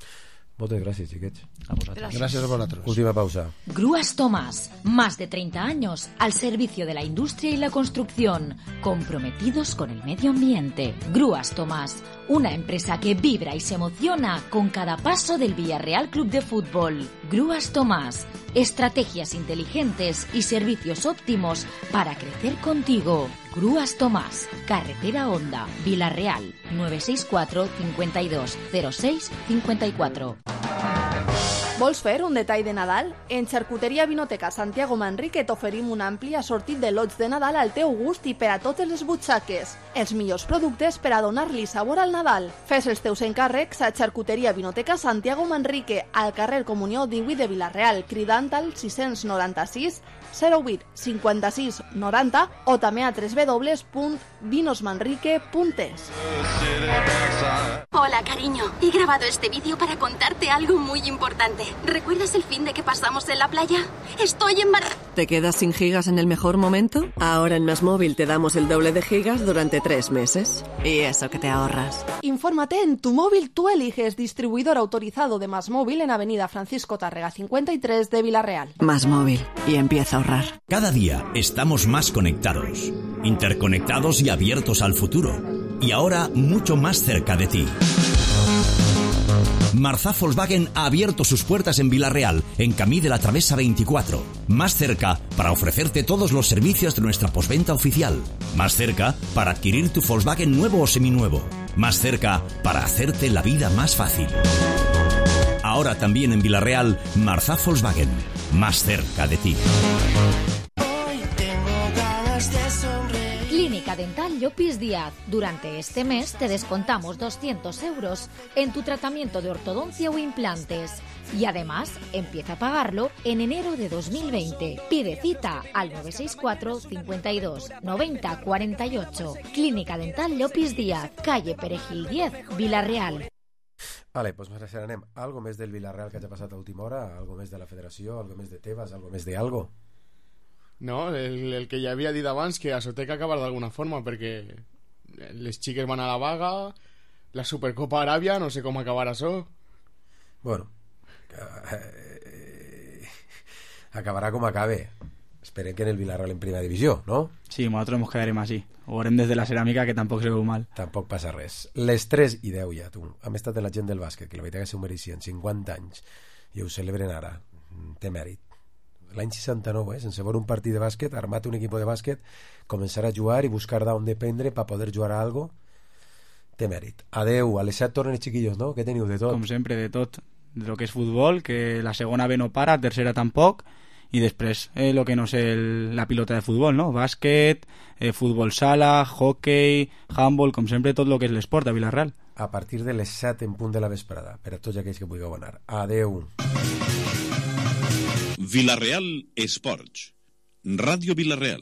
Moltes gràcies, xiquets. A vosaltres. Gràcies a vosaltres. Última pausa. Grúas Tomás, más de treinta años al servicio de la industria y la construcción, comprometidos con el medio ambiente. Grúas Tomás, una empresa que vibra y se emociona con cada paso del Villarreal Club de Fútbol. Grúas Tomás, estrategias inteligentes y servicios óptimos para crecer contigo. Grúas Tomás, Carretera Honda, Villarreal, nueve seis cuatro, cincuenta y dos, cero seis, cincuenta y cuatro. Vols fer un detall de Nadal? En Xarcuteria Vinoteca Santiago Manrique t'oferim un ampli assortit de lots de Nadal al teu gust i per a totes les butxaques. Els millors productes per a donar-li sabor al Nadal. Fes els teus encàrrecs a Xarcuteria Vinoteca Santiago Manrique, al carrer Comunió divuit de Vilareal, cridant al sis noranta sis zero vuit cinquanta-sis noranta o també a w w w punt vinos manrique punt es. Hola, cariño. He grabado este vídeo para contarte algo muy importante. ¿Recuerdas el fin de que pasamos en la playa? Estoy embarazada. ¿Te quedas sin gigas en el mejor momento? Ahora en Más Móvil te damos el doble de gigas durante tres meses. Y eso que te ahorras. Infórmate en Tu Móvil Tú Eliges, distribuidor autorizado de Más Móvil en Avenida Francisco Tárrega cincuenta y tres de Vilareal. Más Móvil. Y empieza a ahorrar. Cada día estamos más conectados, interconectados y abiertos al futuro. Y ahora mucho más cerca de ti. Marzá Volkswagen ha abierto sus puertas en Vilareal, en Camí de la Travesa veinticuatro. Más cerca para ofrecerte todos los servicios de nuestra postventa oficial. Más cerca para adquirir tu Volkswagen nuevo o seminuevo. Más cerca para hacerte la vida más fácil. Ahora también en Vilareal, Marzá Volkswagen. Más cerca de ti. Clínica Dental Llopis Díaz. Durante este mes te descontamos doscientos euros en tu tratamiento de ortodoncia o implantes. Y además, empieza a pagarlo en enero de dos mil veinte. Pide cita al nueve seis cuatro, cincuenta y dos, noventa, cuarenta y ocho. Clínica Dental Llopis Díaz, calle Perejil diez, Vilareal. Vale, doncs pues anem. Algo més del Vilareal que hagi passat a última hora? Algo més de la federació? Algo més de Tebas? Algo més de algo? No, el, el que ja havia dit abans, que això té que acabar d'alguna forma, perquè les xiques van a la vaga, la Supercopa Aràbia, no sé com acabarà això. Bueno, eh, acabarà com acabe. Esperem que en el Vilareal en primera divisió, ¿no? Sí, nosotros nos quedaremos así. O harem desde la ceràmica, que tampoc se veu mal. Tampoc passa res. Les tres i deu ja, tu. Hem estat de la gent del bàsquet, que la veritat que s'ho mereixien, cinquanta anys, i ho celebren ara. Té mèrit. L'any seixanta-nou, eh, sense veure un partit de bàsquet, armat un equip de bàsquet, començar a jugar i buscar d'on dependre per poder jugar a algo, té mèrit. Adeu, a les set tornen els chiquillos, no? Què teniu de tot? Com sempre, de tot. De lo que és futbol, que la segona B no para, tercera tampoc, i després eh, lo que no sé, el, la pilota de futbol, no? Bàsquet, eh, futbol sala, hockey, handball, com sempre, tot lo que és l'esport a Vilareal. A partir de les set en punt de la vesprada, per a tots aquells que vulgueu anar. Adeu. Vilareal Esports. Ràdio Vilareal.